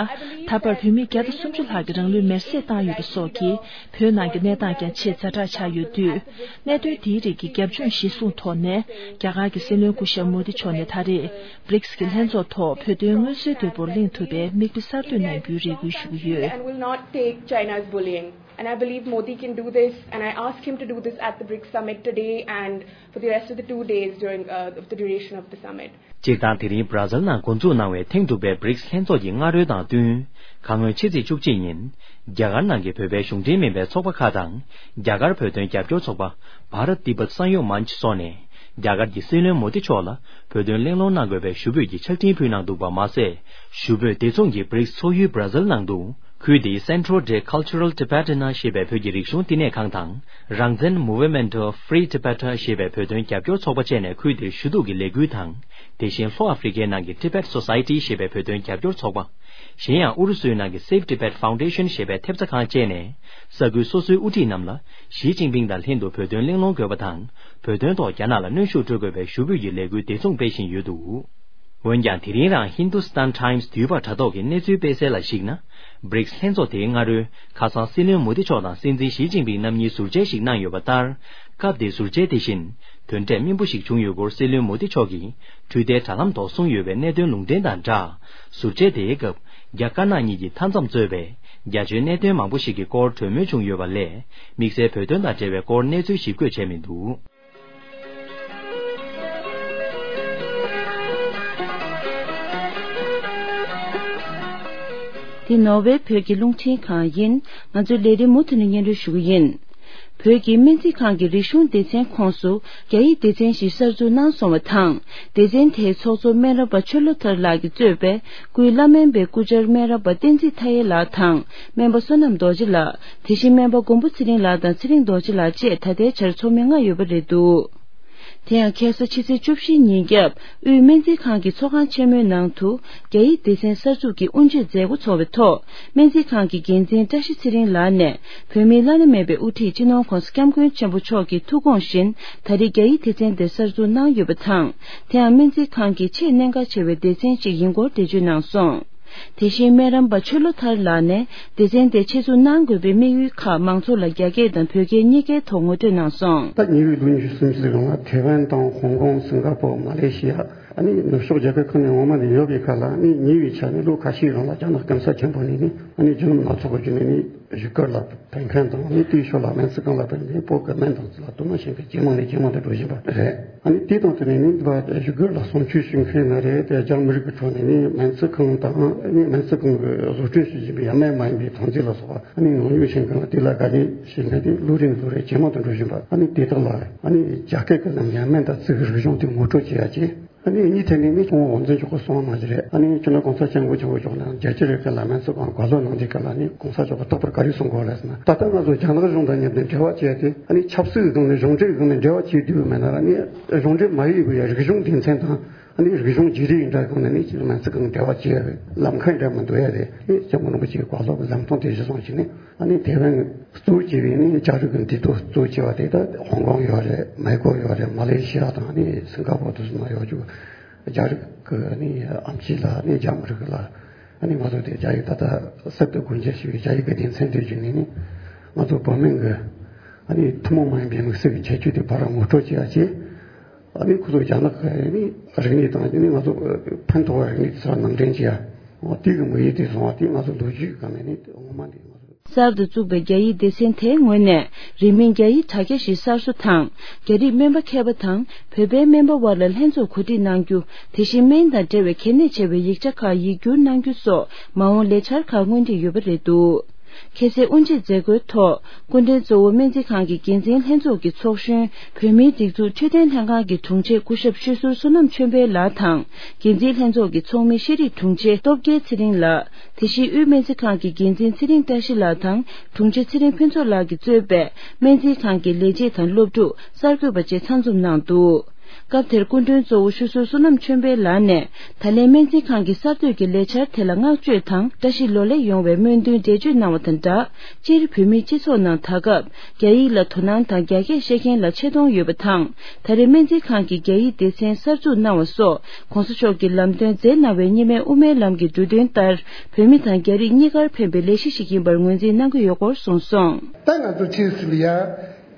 ད་བར་བོད་མི་བརྒྱ་དང་སུམ་ཅུ་ལྷག་གིས་རང་ལུས་མེར་སྲེག་བཏང་ཡོད་པ་སོགས་ཀྱིས། བོད་ནང་གི་གནས་སྟངས་ཀྱང་ཆེས་ཛ་དྲག་ཆགས་ཡོད་དུས། གནད་དོན་དེའི་རིགས་ཀྱི་རྒྱབ་ལྗོངས་གཞིར་བཟུང་ཐོག་ནས། རྒྱ་གར་གྱི་སྲིད་བློན་སྐུ་ཞབས་མོ་དི་མཆོག་ནས་ད་རེས། བྷི་རིགས་ཀྱི་ལྷན་ཚོགས་ཐོག་བོད་དོན་མངོན་གསལ་དོད་པོར་གླེང་ཐུབ་པའི་མིག་དཔེ་གསར་གཏོད་གནང་རྒྱུའི་རེ་སྐུལ་ཞུ་གི་ཡོད། And will not take China's bullying. And I believe Modi can do this, and I ask him to do this at the BRICS summit today and for the rest of the two days during, uh, the duration of the summit. སྤྱིར་བཏང་དེ་རིང་བྷ་ར་ཛིལ་ནང་འགོ་འཛུགས་གནང་བའི་ཐེངས་དྲུག་པའི་བྷི་རིགས་ལྷན་ཚོགས་ཀྱི་སྔ་རོལ་དང་བསྟུན། ཁ་སྔོན་ཕྱི་ཚེས་བཅུ་གཅིག་ཉིན། རྒྱ་གར་ནང་གི་བོད་པའི་གཞུང་འབྲེལ་མིན་པའི་ཚོགས་པ་ཁག་དང་། རྒྱ་གར་བོད་དོན་རྒྱབ་སྐྱོར་ཚོགས་པ། Bharat Tibet Sangyog Manch སོགས་ནས། རྒྱ་གར་གྱི་སྲིད་བློན་མོ་དི་མཆོག་ལ་བོད་དོན་གླེང་སློང་གནང་དགོས་པའི་ཞུ་འབོད་ཀྱི་ཕྱག་འཕྲིན་ཕུལ་གནང་འདུག་པ་མ་ཟད། ཞུ་འབོད་དེ་མཚུངས་ཀྱིས་བྷི་རིགས་ཚོགས་ཡུལ་བྷ་ར་ཛིལ་ནང་དུ། ཁུལ་དེའི་Centro de Cultural Tibetan ཞེས་པའི་བོད་ཀྱི་རིག་གཞུང་བསྟི་གནས་ཁང་དང་། རང་བཙན་Movement of Free Tibet ཞེས་པའི་བོད་དོན་རྒྱབ་སྐྱོར་ཚོགས་པ་བཅས་ནས་ཁུལ་དེར་ཞུ་གཏུག་གི་ལས་འགུལ་དང་། དེ་བཞིན་ལྷོ་ཨ་ཧྥེ་རི་ཁའི་ནང་གི་Tibet Society ཞེས་པའི་བོད་དོན་རྒྱབ་སྐྱོར་ཚོགས་པ། གཞན་ཡང་ཨུ་རུ་སུའི་ནང་གི་Save Tibet Foundation ཞེས་པའི་ཐེབས་རྩ་ཁང་བཅས་ནས། ས་ཁུལ་སོ་སོའི་དབུ་ཁྲིད་རྣམས་ལ། ཞི་ཅིན་ཕིང་དང་ལྷན་དུ་བོད་དོན་གླེང་སློང་དགོས་པ་དང་། བོད་དོན་ཐོག་རྒྱ་ནག་ལ་གནོན་ཤུགས་སྤྲོད་དགོས་པའི་ཞུ་འབོད་ཀྱི་ལས་འགུལ་དེ་མཚུངས་སྤེལ་བཞིན་ཡོད་འདུག་འོན་ཀྱང་། དེ་རིང་རང་Hindustan Times དུས་བབ་དྲ་ཐོག་གི་གནས་ཚུལ་སྤེལ་གསལ་ལ་གཞིགས་ན། བྷི་རིགས་ལྷན་ཚོགས་དེའི་སྔ་རོལ། ཁ་སང་སྲིད་བློན་མོ་དི་མཆོག་དང་སྲིད་འཛིན་ཞི་ཅིན་ཕིང་རྣམ་གཉིས་ཟུར་མཇལ་ཞིག་གནང་ཡོད་པ་ལྟར། སྐབས་དེའི་ཟུར་མཇལ་དེ་བཞིན། དོན་འབྲས་སྨིན་པོ་ཞིག་བྱུང་ཡོད་སྐོར་སྲིད་བློན་མོ་དི་མཆོག་གིས། འཕྲུལ་བསྟེན་དྲ་ལམ་ཐོག་གསུངས་ཡོད་པའི་གནད་དོན་ལུང་འདྲེན་དང་སྦྲགས། ཟུར་མཇལ་དེའི་སྐབས། རྒྱ་དཀར་ནག་གཉིས་ཀྱིས་མཐའ་མཚམས་གཙོས་པའི། རྒྱ་ཆེའི་གནད་དོན་མང་པོ་ཞིག་གི་སྐོར་གྲོས་མོལ་བྱུང་ཡོད་པ་ལས། དམིགས་བསལ་བོད་དོན་དང་འབྲེལ་བའི་སྐོར་གནས་ཚུལ་ཞིབ་བཀོད་བྱས་མི་འདུག་འདི་ནོར་ཝེ་བོད་ཀྱི་རླུང་འཕྲིན་ཁང་ཡིན། ང་ཚོའི་ལས་རིམ་མུ་མཐུད་ནས་སྙན་སྒྲོན་ཞུ་གི་ཡིན། བོད་ཀྱི་སྨན་རྩིས་ཁང་གི་རིག་གཞུང་སྡེ་ཚན་ཁོངས་སུ་རྒྱ་ཡིག་སྡེ་ཚན་ཞིག་གསར་འཛུགས་གནང་སོང་བ་དང་། སྡེ་ཚན་དེའི་ཚོགས་གཙོ་སྨན་རམས་པ་ཆོས་བློ་ཐར་ལགས་ཀྱིས་གཙོས་པའི་སྐུའི་བླ་སྨན་པའི་སྐུ་བཅར་སྨན་རམས་པ་བསྟན་འཛིན་མཐའ་ཡས་ལགས་དང་། སྨན་པ་བསོད་ནམས་རྡོ་རྗེ་ལགས། དེ་བཞིན་སྨན་པ་མགོན་པོ་ཚེ་རིང་ལགས་དང་ཚེ་རིང་རྡོ་རྗེ་ལགས་བཅས་ད་ལྟའི་ཆར་ཚོགས་མི་ལྔ་ཡོད་པ་རེད་འདུག་དེ་ཡང་ཁ་སང་ཕྱི་ཚེས་བཅུ་བཞི་ཉིན་རྒྱབ་དབུས་སྨན་རྩིས་ཁང་གི་ཚོགས་ཁང་ཆེན་མོའི་ནང་དུ་རྒྱ་ཡིག་སྡེ་ཚན་གསར་འཛུགས་ཀྱི་དབུ་འབྱེད་མཛད་སྒོ་ཚོགས་པའི་ཐོག་སྨན་རྩིས་ཁང་གི་འགན་འཛིན་བཀྲ་ཤིས་ཚེ་རིང་ལགས་ནས་བོད་མིའི་བླ་ན་མེད་པའི་དབུ་ཁྲིད་སྤྱི་ནོར་༧གོང་ས་༧སྐྱབས་མགོན་ཆེན་པོ་མཆོག་གི་ཐུགས་དགོངས་བཞིན་ད་རེས་རྒྱ་ཡིག་སྡེ་ཚན་དེ་གསར་འཛུགས་གནང་ཡོད་པ་དང་། དེའང་སྨན་རྩིས་ཁང་གི་ཆེས་གནད་འགག་ཆེ་བའི་སྡེ་ཚན་གཅིག་ཡིན་སྐོར་འགྲེལ་བརྗོད་གནང་སོང་། དེ་བཞིན་སྨན་རམས་པ་ཆོས་བློ་ཐར་ལགས་ནས་སྡེ་ཚན་དེ་ཆེད་འཛུགས་གནང་དགོས་པའི་དམིགས་ཡུལ་ཁག་མང་ཚོགས་ལ་རྒྱ་སྐད་དང་བོད་སྐད་གཉིས་ཀའི་ཐོག་ངོ་སྤྲོད་གནང་སོང་། ད་ཉེ་བའི་ལོ་ཉི་ཤུ་སུམ་ཅུ་ཙམ་རིང་ལ་ཐེ་ཝན་དང་ཧོང་ཀོང་། སིང་ག་པོར། མ་ལེ་ཤི་ཡ། ཨ་ནི་ནུབ་ཕྱོགས་རྒྱལ་ཁབ་ཁག་ནས་འོང་མ་ནས་ཡོད་པའི་ཁ་ལ་ཨ་ནི་ཉེ་བའི་ཆར་ནས་ལོ་ཁ་ཤས་རིང་ལ་རྒྱ་ནག་གོང་ས་ཆེན་པོ་ནས་ནི་ཨ་ནི་རྒྱུ་ནོམ་སྣ་ཚོགས་ཀྱི་བརྒྱུད་ནས་ནི་བཞུགས་སྒར་ལ་ཕེབས་མཁན་དང་། ཨ་ནི་དེའི་ཞོར་ལ་སྨན་རྩིས་ཁང་ལ་ཕེབས་ནས་བོད་ཀྱི་སྨན་དང་རྩིས་ལ་དོ་སྣང་བྱེད་མཁན་ཇེ་མང་ནས་ཇེ་མང་དུ་འགྲོ་བཞིན་པ་རེད། ཨ་ནི་དེ་དང་བསྟུན་ནས་ནི་བཞུགས་སྒར་ལ་གསུང་ཆོས་ཞུ་མཁན་ན་རེད་དེ། རྒྱ་མི་རིགས་ཀྱི་ཁྲོད་ནས་ནི་སྨན་རྩིས་ཁང་དང་ནི་སྨན་རྩིས་ཁང་གི་བཟོ་སྐྲུན་བྱེད་བཞིན་པའི་སྨན་མ་ཡིན་པའི་ཐོན་རྫས་ལ་སོགས་པ་ཨ་ནི་ཉོ་ཉོ་བྱེད་མཁན་ལ་དེ་ལ་དགའ་ལྡན་བྱེད་མཁན་དེ་ལོ་རེ་ནས་ལོ་རེ་ཇེ་མང་དུ་འགྲོ་བཞིན་པ། ཨ་ནི་དེ་དག་ལ་ཨ་ནི་རྒྱ་སྐད་ཀྱི་ནང་ནས་སྨན་དང་རྩིས་ཀྱི་རིག་གཞུང་དེ་ངོ་སྤྲོད་བྱེད་ཡ་ཅིག་ཨ་ནི་གཉིས་ཐད་ནས་ནི་ཁོང་དབང་འཛིན་མཆོག་གིས་གསུངས་པ་ནང་བཞིན་རེད། ཨ་ནི་སྤྱི་ནོར་གོང་ས་སྐྱབས་མགོན་ཆེན་པོ་མཆོག་ནས་རྒྱལ་སྤྱི་རེ་ཁེ་ལ་སྨན་རྩིས་ཁང་བཀའ་སློབ་གནང་དུས་སྐབས་ལ་ནི་གོང་ས་མཆོག་གིས་རྟག་པར་ག་རེ་གསུང་གི་ཡོད་རེད་ཟེར་ན། ད་ལྟ་ང་ཚོ་རྒྱ་ནག་གཞུང་དང་མཉམ་དུ་འབྲེལ་བ་བྱས་ཏེ་ཨ་ནི་ཆབ་སྲིད་ཀྱི་སྒང་ནས་གཞུང་འབྲེལ་གྱི་སྒང་ནས་འབྲེལ་བ་བྱེད་དུས་མེད་ན་ར་ནི་གཞུང་འབྲེལ་མ་ཡིན་པའི་རིག་གཞུང་སྡེ་ཚན་དང་། ཨ་ནི་རིག་གཞུང་བརྗེ་རེས་འདྲ་གང་ནས་ནི་སྤྱིར་སྨན་རྩིས་ཁང་འབྲེལ་བ་བྱེད་ཡ་རེད། ལམ་ཁ་འདྲ་མི་འདུག་ཡ་རེད། ཨ་ནི་སྐྱབས་མགོན་རིན་པོ་ཆེའི་བཀའ་སློབ་ལམ་སྟོན་དེ་གཞི་བཟུང་བྱས་ནས། ཨ་ནི་ཐེ་ཝན་གཙོ་བོ་བྱས་པའི་ནི་རྒྱ་རིགས་ཀྱི་འདུས་སྡོད་གཙོ་བོ་བྱས་པ་དེ་ད་ཧོང་ཀོང་ཡོད་རེད། མེག་གོ་ཡོད་རེད། མ་ལེ་ཤི་ཡ་དང་ཨ་ནི་སིང་ག་པོར་དུ་སོང་ན་ཡོད་རྒྱུ། རྒྱ་རིགས་ཀྱི་ཨ་ནི་ཨེམ་ཆི་ལ་ཨ་ནི་རྒྱ་མི་རིགས་ལ་ཨ་ནི་ང་ཚོ་དེ་རྒྱ་ཡིག་ད་ལྟ་གསར་དུ་སྒོ་འབྱེད་བྱས་པའི་རྒྱ་ཡིག་གི་སྡེ་ཚན་དེ་བརྒྱུད་ནས་ནི་ང་ཚོ་བོད་སྨན་གྱི་ཨ་ནི་ཐུན་མོང་མ་ཡིན་པའི་དམིགས་བསལ་གྱི་ཁྱད་ཆོས་དེ་ཕར་ངོ་སྤྲོད་བྱེད་ཡ་བྱས། ཨ་ནི་ཁོ་ཚོ་རྒྱ་ནག་གི་ཨ་ནི་རིག་གནས་དང་ཨ་ནི་ང་ཚོ་ཕན་ཐོགས་པའི་རིག་གནས་དེ་ཚོ་ནང་འདྲེན་བྱེད་ཡ། འོ་དེ་གི་དམིགས་ཡུལ་དེ་བཟུང་བ་དེ་ང་ཚོ་ལོ་རྒྱུས་ཀྱི་སྒང་ནས་ནི་ངོ་མ་འདི་ང་ཚོ། གསར་དུ་བཙུགས་པའི་རྒྱ་ཡིག་སྡེ་ཚན་དེའི་ངོས་ནས་རིང་མིན་རྒྱ་ཡིག་དྲ་རྒྱ་ཞིག་གསར་བཟོ་དང་། རྒྱ་རིགས་སྨན་པ་མཁས་པ་དང་བོད་པའི་སྨན་པ་དབར་ལ་ལྷན་ཚོགས་གོ་སྒྲིག་གནང་རྒྱུ། དེ་བཞིན་སྨན་དང་འབྲེལ་བའི་གལ་གནད་ཆེ་བའི་ཡིག་ཆ་ཁག་ཡིག་སྒྱུར་གནང་རྒྱུ་སོགས་མ་འོངས་ལས་འཆར་ཁག་སྔོན་སྒྲིག་ཡོད་པ་རེད་འདུག་ཁ་སའི་དབུ་འབྱེད་མཛད་སྒོའི་ཐོག་སྐུ་མགྲོན་གཙོ་བོ་སྨན་རྩིས་ཁང་གི་འགན་འཛིན་ལྷན་ཚོགས་ཀྱི་ཚོགས་གཞོན་བོད་མིའི་སྒྲིག་འཛུགས་འཕྲོད་བསྟེན་ལྷན་ཁང་གི་དྲུང་ཆེ་སྐུ་ཞབས་ཆོས་ཟུར་བསོད་ནམས་ཆོས་འཕེལ་ལགས་དང་། འགན་འཛིན་ལྷན་ཚོགས་ཀྱི་ཚོགས་མི་ཤེས་རིག་དྲུང་ཆེ་སྟོབས་རྒྱལ་ཚེ་རིང་ལགས། དེ་བཞིན་དབུས་སྨན་རྩིས་ཁང་གི་འགན་འཛིན་ཚེ་རིང་བཀྲ་ཤིས་ལགས་དང་དྲུང་ཆེ་ཚེ་རིང་ཕུན་ཚོགས་ལགས་ཀྱིས་གཙོས་པའི་སྨན་རྩིས་ཁང་གི་ལས་བྱེད་དང་སློབ་ཕྲུག་གསར་འགོད་པ་བཅས་ཚང་འཛོམས་གནང་འདུག་སྐབས་དེར་སྐུ་མགྲོན་གཙོ་བོ་ཆོས་ཟུར་བསོད་ནམས་ཆོས་འཕེལ་ལགས་ནས་ད་ལན་སྨན་རྩིས་ཁང་གི་གསར་གཏོད་ཀྱི་ལས་འཆར་དེ་ལ་བསྔགས་བརྗོད་དང་བཀྲ་ཤིས་ལོ་ལེགས་ཡོང་བའི་སྨོན་འདུན་འགྲེལ་བརྗོད་གནང་བ་དང་སྦྲགས། སྤྱིར་བོད་མིའི་སྤྱི་ཚོགས་ནང་ད་སྐབས་རྒྱ་ཡིག་ལ་དོ་སྣང་དང་རྒྱ་སྐད་བཤད་མཁན་ལ་ཆེ་མཐོང་ཡོད་པ་དང་། ད་རེས་སྨན་རྩིས་ཁང་གིས་རྒྱ་ཡིག་སྡེ་ཚན་གསར་འཛུགས་གནང་བ་སོགས་གོང་ས་མཆོག་གིས་ལམ་སྟོན་མཛད་གནང་བའི་གཉིས་སྨན་དབུ་མའི་ལམ་གྱི་འབྲུ་དོན་ལྟར་བོད་མི་དང་རྒྱ་རིགས་གཉིས་ཀར་ཕན་པའི་ལས་གཞི་ཞིག་ཡིན་པར་ངོས་འཛིན་གནང་གི་ཡོད་སྐོར་གསུངས་སོང་། ད་ང་ཚོ་ཕྱིས་སུ་ལ་ཡང་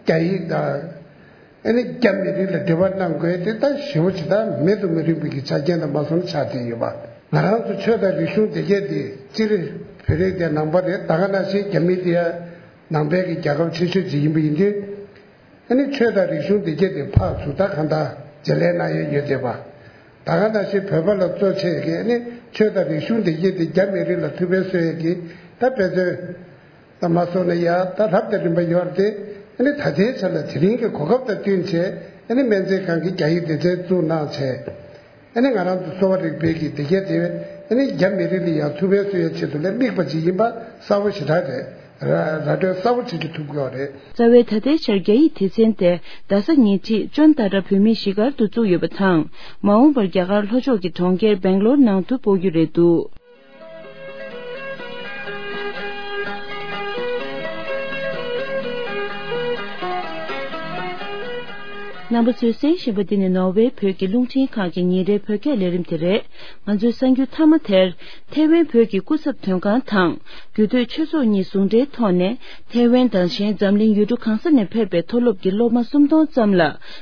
རྒྱ་ཡིག་དང་ཨ་ནི་རྒྱ་མི་རིགས་ལ་འབྲེལ་བ་གནང་དགོས་དེ་ད་ཞེ་པོ་ཅིག་ད་མེད་དུ་མི་རུང་བའི་གི་ཆ་རྐྱེན་དུ་མ་སོང་ཆགས་བསྡད་ཡོད་པ། ང་རང་ཚོ་ཆོས་དང་རིག་གཞུང་སྡེ་བརྒྱད་དེ་སྤྱིར་བོད་རིགས་དེ་ནང་པ་རེད། ད་ག་ནང་བཞིན་རྒྱ་མི་དེ་ཡང་ནང་པའི་གི་རྒྱལ་ཁབ་ཆེ་ཤོས་ཅིག་ཡིན་པ་ཡིན་དུས། ཨ་ནི་ཆོས་དང་རིག་གཞུང་སྡེ་བརྒྱད་དེ་ཕར་ཚུར་ད་གང་ལྟར་བརྗེ་ལེན་གནང་ཡས་ཡོད་བསྡད་པ། ད་ག་ནང་བཞིན་བོད་པ་ལ་གཙོ་ཆེ་གི་ཨ་ནི་ཆོས་དང་རིག་གཞུང་སྡེ་བརྒྱད་དེ་རྒྱ་མི་རིགས་ལ་ཐུགས་ཕན་གསོས་ཡས་ཀྱི་ད་དཔེ་མཚོན་ད་མ་སོང་ན་ཡ་ད་རབ་དང་རིམ་པ་ཡོད་རེད་དེ། ཨ་ནི་ད་ལྟའི་ཆ་ལ་དེ་རིང་གི་གོ་སྐབས་དང་བསྟུན་བྱས་ཨ་ནི་སྨན་རྩིས་ཁང་གི་རྒྱ་ཡིག་སྡེ་ཚན་བཙུགས་གནང་བྱས། ཨ་ནི་ང་རང་ཚོ་གསོ་བ་རིག་པའི་གི་སྡེ་བརྒྱད་དེ་ཨ་ནི་རྒྱ་མི་རིགས་ལ་ཡང་ཐུགས་ཕན་གསོས་ཡ་ཆེད་དུ་ལས་དམིགས་པ་ཅིག་ཡིན་པ་གསལ་པོ་ཞེ་དྲག་རེད། ར་ར་སྤྲོད་གསལ་པོ་བྱེད་རྒྱུ་ཐུབ་ཀྱི་ཡོད་རེད། རྩ་བའི་ད་ལྟའི་ཆར་རྒྱ་ཡིག་སྡེ་ཚན་དེ་རྡ་ས་ཉེ་འཁྲིས་ཅོན་ཏ་ཏྲ་བོད་མིའི་གཞིས་སྒར་དུ་བཙུགས་ཡོད་པ་དང་། མ་འོངས་པར་རྒྱ་གར་ལྷོ་ཕྱོགས་ཀྱི་གྲོང་ཁྱེར་སྦེང་ལོར་ནང་དུ་སྤོ་རྒྱུ་རེད་འདུག་རྣམ་པ་ཚོས་གསན་བཞིན་པ་འདི་ནི་ནོར་ཝེ་བོད་ཀྱི་རླུང་འཕྲིན་ཁང་གི་ཉིན་རེའི་བོད་སྐད་ལས་རིམ་དེ་རེད། ང་ཚོའི་གསར་འགྱུར་མཐའ་མ་དེར། ཐེ་ཝན་བོད་ཀྱི་སྐུ་ཚབ་དོན་ཁང་དང་རྒྱུད་སྟོད་ཆོས་ཚོགས་གཉིས་ཟུང་འབྲེལ་ཐོག་ནས་ཐེ་ཝན་དང་གཞན་འཛམ་གླིང་ཡུལ་གྲུ་གང་ས་ནས་ཕེབས་པའི་མཐོ་སློབ་ཀྱི་སློབ་མ་སུམ་སྟོང་ཙམ་ལ་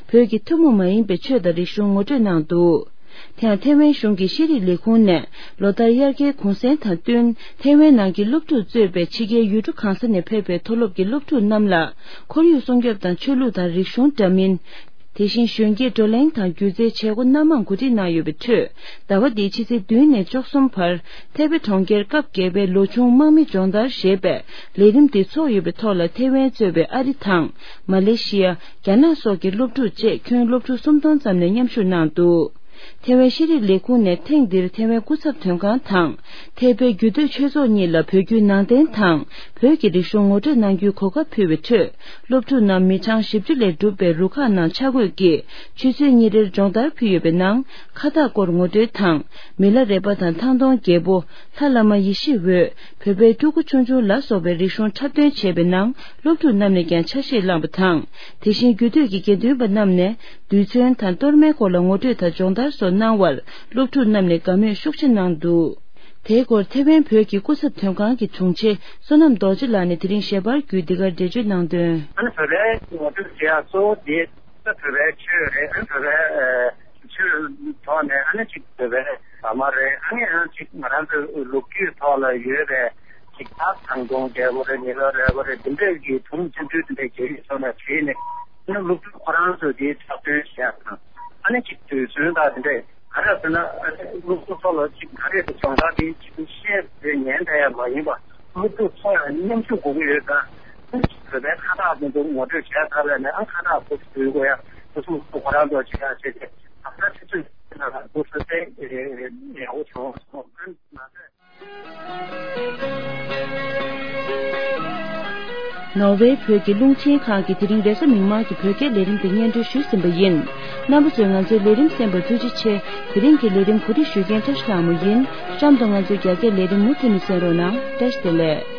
བོད་ཀྱི་ཐུན་མོང་མ་ཡིན་པའི་ཆོས་དང་རིག་གཞུང་ངོ་སྤྲོད་གནང་འདུག་དེ་ཡང་ཐེ་ཝན་གཞུང་གི་ཤེས་རིག་ལས་ཁུངས་ནས་ལོ་ལྟར་དབྱར་ཁའི་གུང་སེང་དང་བསྟུན་ཐེ་ཝན་ནང་གི་སློབ་ཕྲུག་གཙོས་པའི་ཕྱི་རྒྱལ་ཡུལ་གྲུ་གང་ས་ནས་ཕེབས་པའི་མཐོ་སློབ་ཀྱི་སློབ་ཕྲུག་རྣམས་ལ་ཁོར་ཡུག་སྲུང་སྐྱོབ་དང་ཆོས་ལུགས་དང་རིག་གཞུང་འདྲ་མིན། དེ་བཞིན་གཞོན་སྐྱེས་བགྲོ་གླེང་དང་སྒྱུ་རྩལ་བྱེད་སྒོ་སྣ་མང་གོ་སྒྲིག་གནང་ཡོད་པའི་ཁྲོད། ཟླ་བ་འདིའི་ཕྱི་ཚེས་བདུན་ནས་བཅུ་གསུམ་བར་ཐེ་པེ་གྲོང་ཁྱེར་སྐབས་བརྒྱད་པའི་ལོ་ཆུང་དམག་མི་སྦྱོང་བརྡར་ཞེས་པའི་ལས་རིམ་འདི་ཚོགས་ཡོད་པའི་ཐོག་ལ་ཐེ་ཝན་གཙོས་པའི་ཨ་རི་དང་མ་ལེ་ཤི་ཡ། རྒྱ་ནག་སོགས་ཀྱི་སློབ་ཕྲུག་བཅས་ཁྱོན་སློབ་ཕྲུག་སུམ་སྟོང་ཙམ་ནས་མཉམ་ཞུགས་གནང་འདུག་ཐེ་ཝན་ཤེས་རིག་ལས་ཁུངས་ནས་ཐེངས་འདིར་ཐེ་ཝན་སྐུ་ཚབ་དོན་ཁང་དང་ཐེ་པེ་རྒྱུད་སྟོད་ཆོས་ཚོགས་གཉིས་ལ་བོད་བརྒྱུད་ནང་བསྟན་དང་བོད་ཀྱི་རིག་གཞུང་ངོ་སྤྲོད་གནང་རྒྱུའི་གོ་སྐབས་ཕུལ་བའི་ཁྲོད། སློབ་ཕྲུག་རྣམས་མི་གྲངས་བཞི་བཅུ་ལས་གྲུབ་པའི་རུ་ཁག་ནང་ཆ་བགོས་ཀྱིས་ཆུ་ཚོད་གཉིས་རེར་སྦྱོང་བརྡར་ཕུལ་ཡོད་པའི་ནང་ཁ་བཏགས་སྐོར་ངོ་སྤྲོད་དང་མི་ལ་རས་པ་དང་ཐང་སྟོང་རྒྱལ་པོ། ལྷ་བླ་མ་ཡེ་ཤེས་འོད། བོད་པའི་ཕྲུ་གུ་ཆུང་ཆུང་ལ་སོགས་པའི་རིག་གཞུང་འཁྲབ་སྟོན་བྱས་པའི་ནང་སློབ་ཕྲུག་རྣམས་ནས་ཀྱང་ཆ་ཤས་བླངས་པ་དང་། དེ་བཞིན་རྒྱུད་སྟོད་ཀྱི་དགེ་འདུན་པ་རྣམས་ནས་རྡུལ་ཚོན་དང་གཏོར་མའི་སྐོར་ལ་ངོ་སྤྲོད་དང་སྦྱོང་བརྡར་སོགས་གནང་བར་སློབ་ཕྲུག་རྣམས་ནས་དགའ་མོས་ཤུགས་ཆེ་གནང་འདུག་དེའི་སྐོར་ཐེ་ཝན་བོད་ཀྱི་སྐུ་ཚབ་དོན་ཁང་གི་དྲུང་ཆེ་བསོད་ནམས་རྡོ་རྗེ་ལགས་ནས་དེ་རིང་ཞལ་པར་བརྒྱུད་འདི་གར་འགྲེལ་བརྗོད་གནང་དོན། ཨ་ནི་བོད་པའི་ངོ་སྤྲོད་བྱེད་ཡག་གཙོ་བོ་དེ་ད་བོད་པའི་ཆོས་རེད། ཨ་ནི་བོད་པའི་ཆོས་ཐོག་ནས་ཨ་ནི་ཅིག་བོད་པའི་ཟ་མ་རེད། ཨ་ནི་ཡང་ཅིག་ང་རང་ཚོའི་ལོ་རྒྱུས་ཐོག་ལ་ཡོད་པའི་ཅིག་ད་ཐང་སྟོང་རྒྱལ་པོ་རེད། མི་ལ་རས་པ་རེད། འདི་འདྲའི་གི་དུམ་བཙན་འཕྲུལ་འདི་འདྲའི་རྒྱལ་རིགས་ཚོ་ནས་བྲིས་ནས་ཨ་ནི་སློབ་ཕྲུག་ཁོ་རང་ཚོས་དེའི་འཁྲབ་སྟོན་བྱེད་ཡག་དང་ཨ་ནི་ཅིག་རྡུལ་ཚོན་དང་འདི་འདྲའི་ག་རེ་ཟེར་ན། ཨ་ནི་སློབ་ཕྲུག་ཚོ་ལ་ཅིག་ག་རེ་ཟེར་སྦྱོང་བརྡར་དེ་ཅིག་ཤེས་བྱས་ཉན་བསྡད་ཡ་མ་ཡིན་པ། སློབ་ཕྲུག་ཚོ་ཡང་མཉམ་ཞུགས་དགོས་ཀྱི་ཡོད་ཙང་། བོད་པའི་ཁ་བཏགས་དེ་ཚོ་ངོ་སྤྲོད་བྱས་ཚར་བས་ནས། ཨ་ཁ་བཏགས་ཁོ་ཚོ་འབུལ་དགོས་ཡ། སློབ་ཕྲུག་ཁོ་རང་ཚོ་བྱེད་ཡ་བྱས་ཏེ། ད་ལྟ་ཆུ་ཚོད་བདུན་ལ་སློབ་ཕྲུག་དཔེ་ཡག་པོ་བྱུང་སོང་། ཨ་ནི་མ་ཟད། ནོར་ཝེ་བོད་ཀྱི་རླུང་འཕྲིན་ཁང་གིས་དེ་རིང་རེས་གཟའ་མིག་དམར་གྱི་བོད་སྐད་ལས་རིམ་དེ་སྙན་སྒྲོན་ཞུས་ཟིན་པ་ཡིན། རྣམ་པ་ཚོས་ང་ཚོའི་ལས་རིམ་གསན་པར་ཐུགས་རྗེ་ཆེ། དེ་རིང་གི་ལས་རིམ་གོ་སྒྲིག་ཞུ་མཁན་བཀྲ་ཤིས་ལྷ་མོ་ཡིན། གཤམ་དུ་ང་ཚོའི་རྒྱ་སྐད་ལས་རིམ་མུ་མཐུད་ནས་གསན་རོགས་གནང་། བཀྲ་ཤིས་བདེ་ལེགས།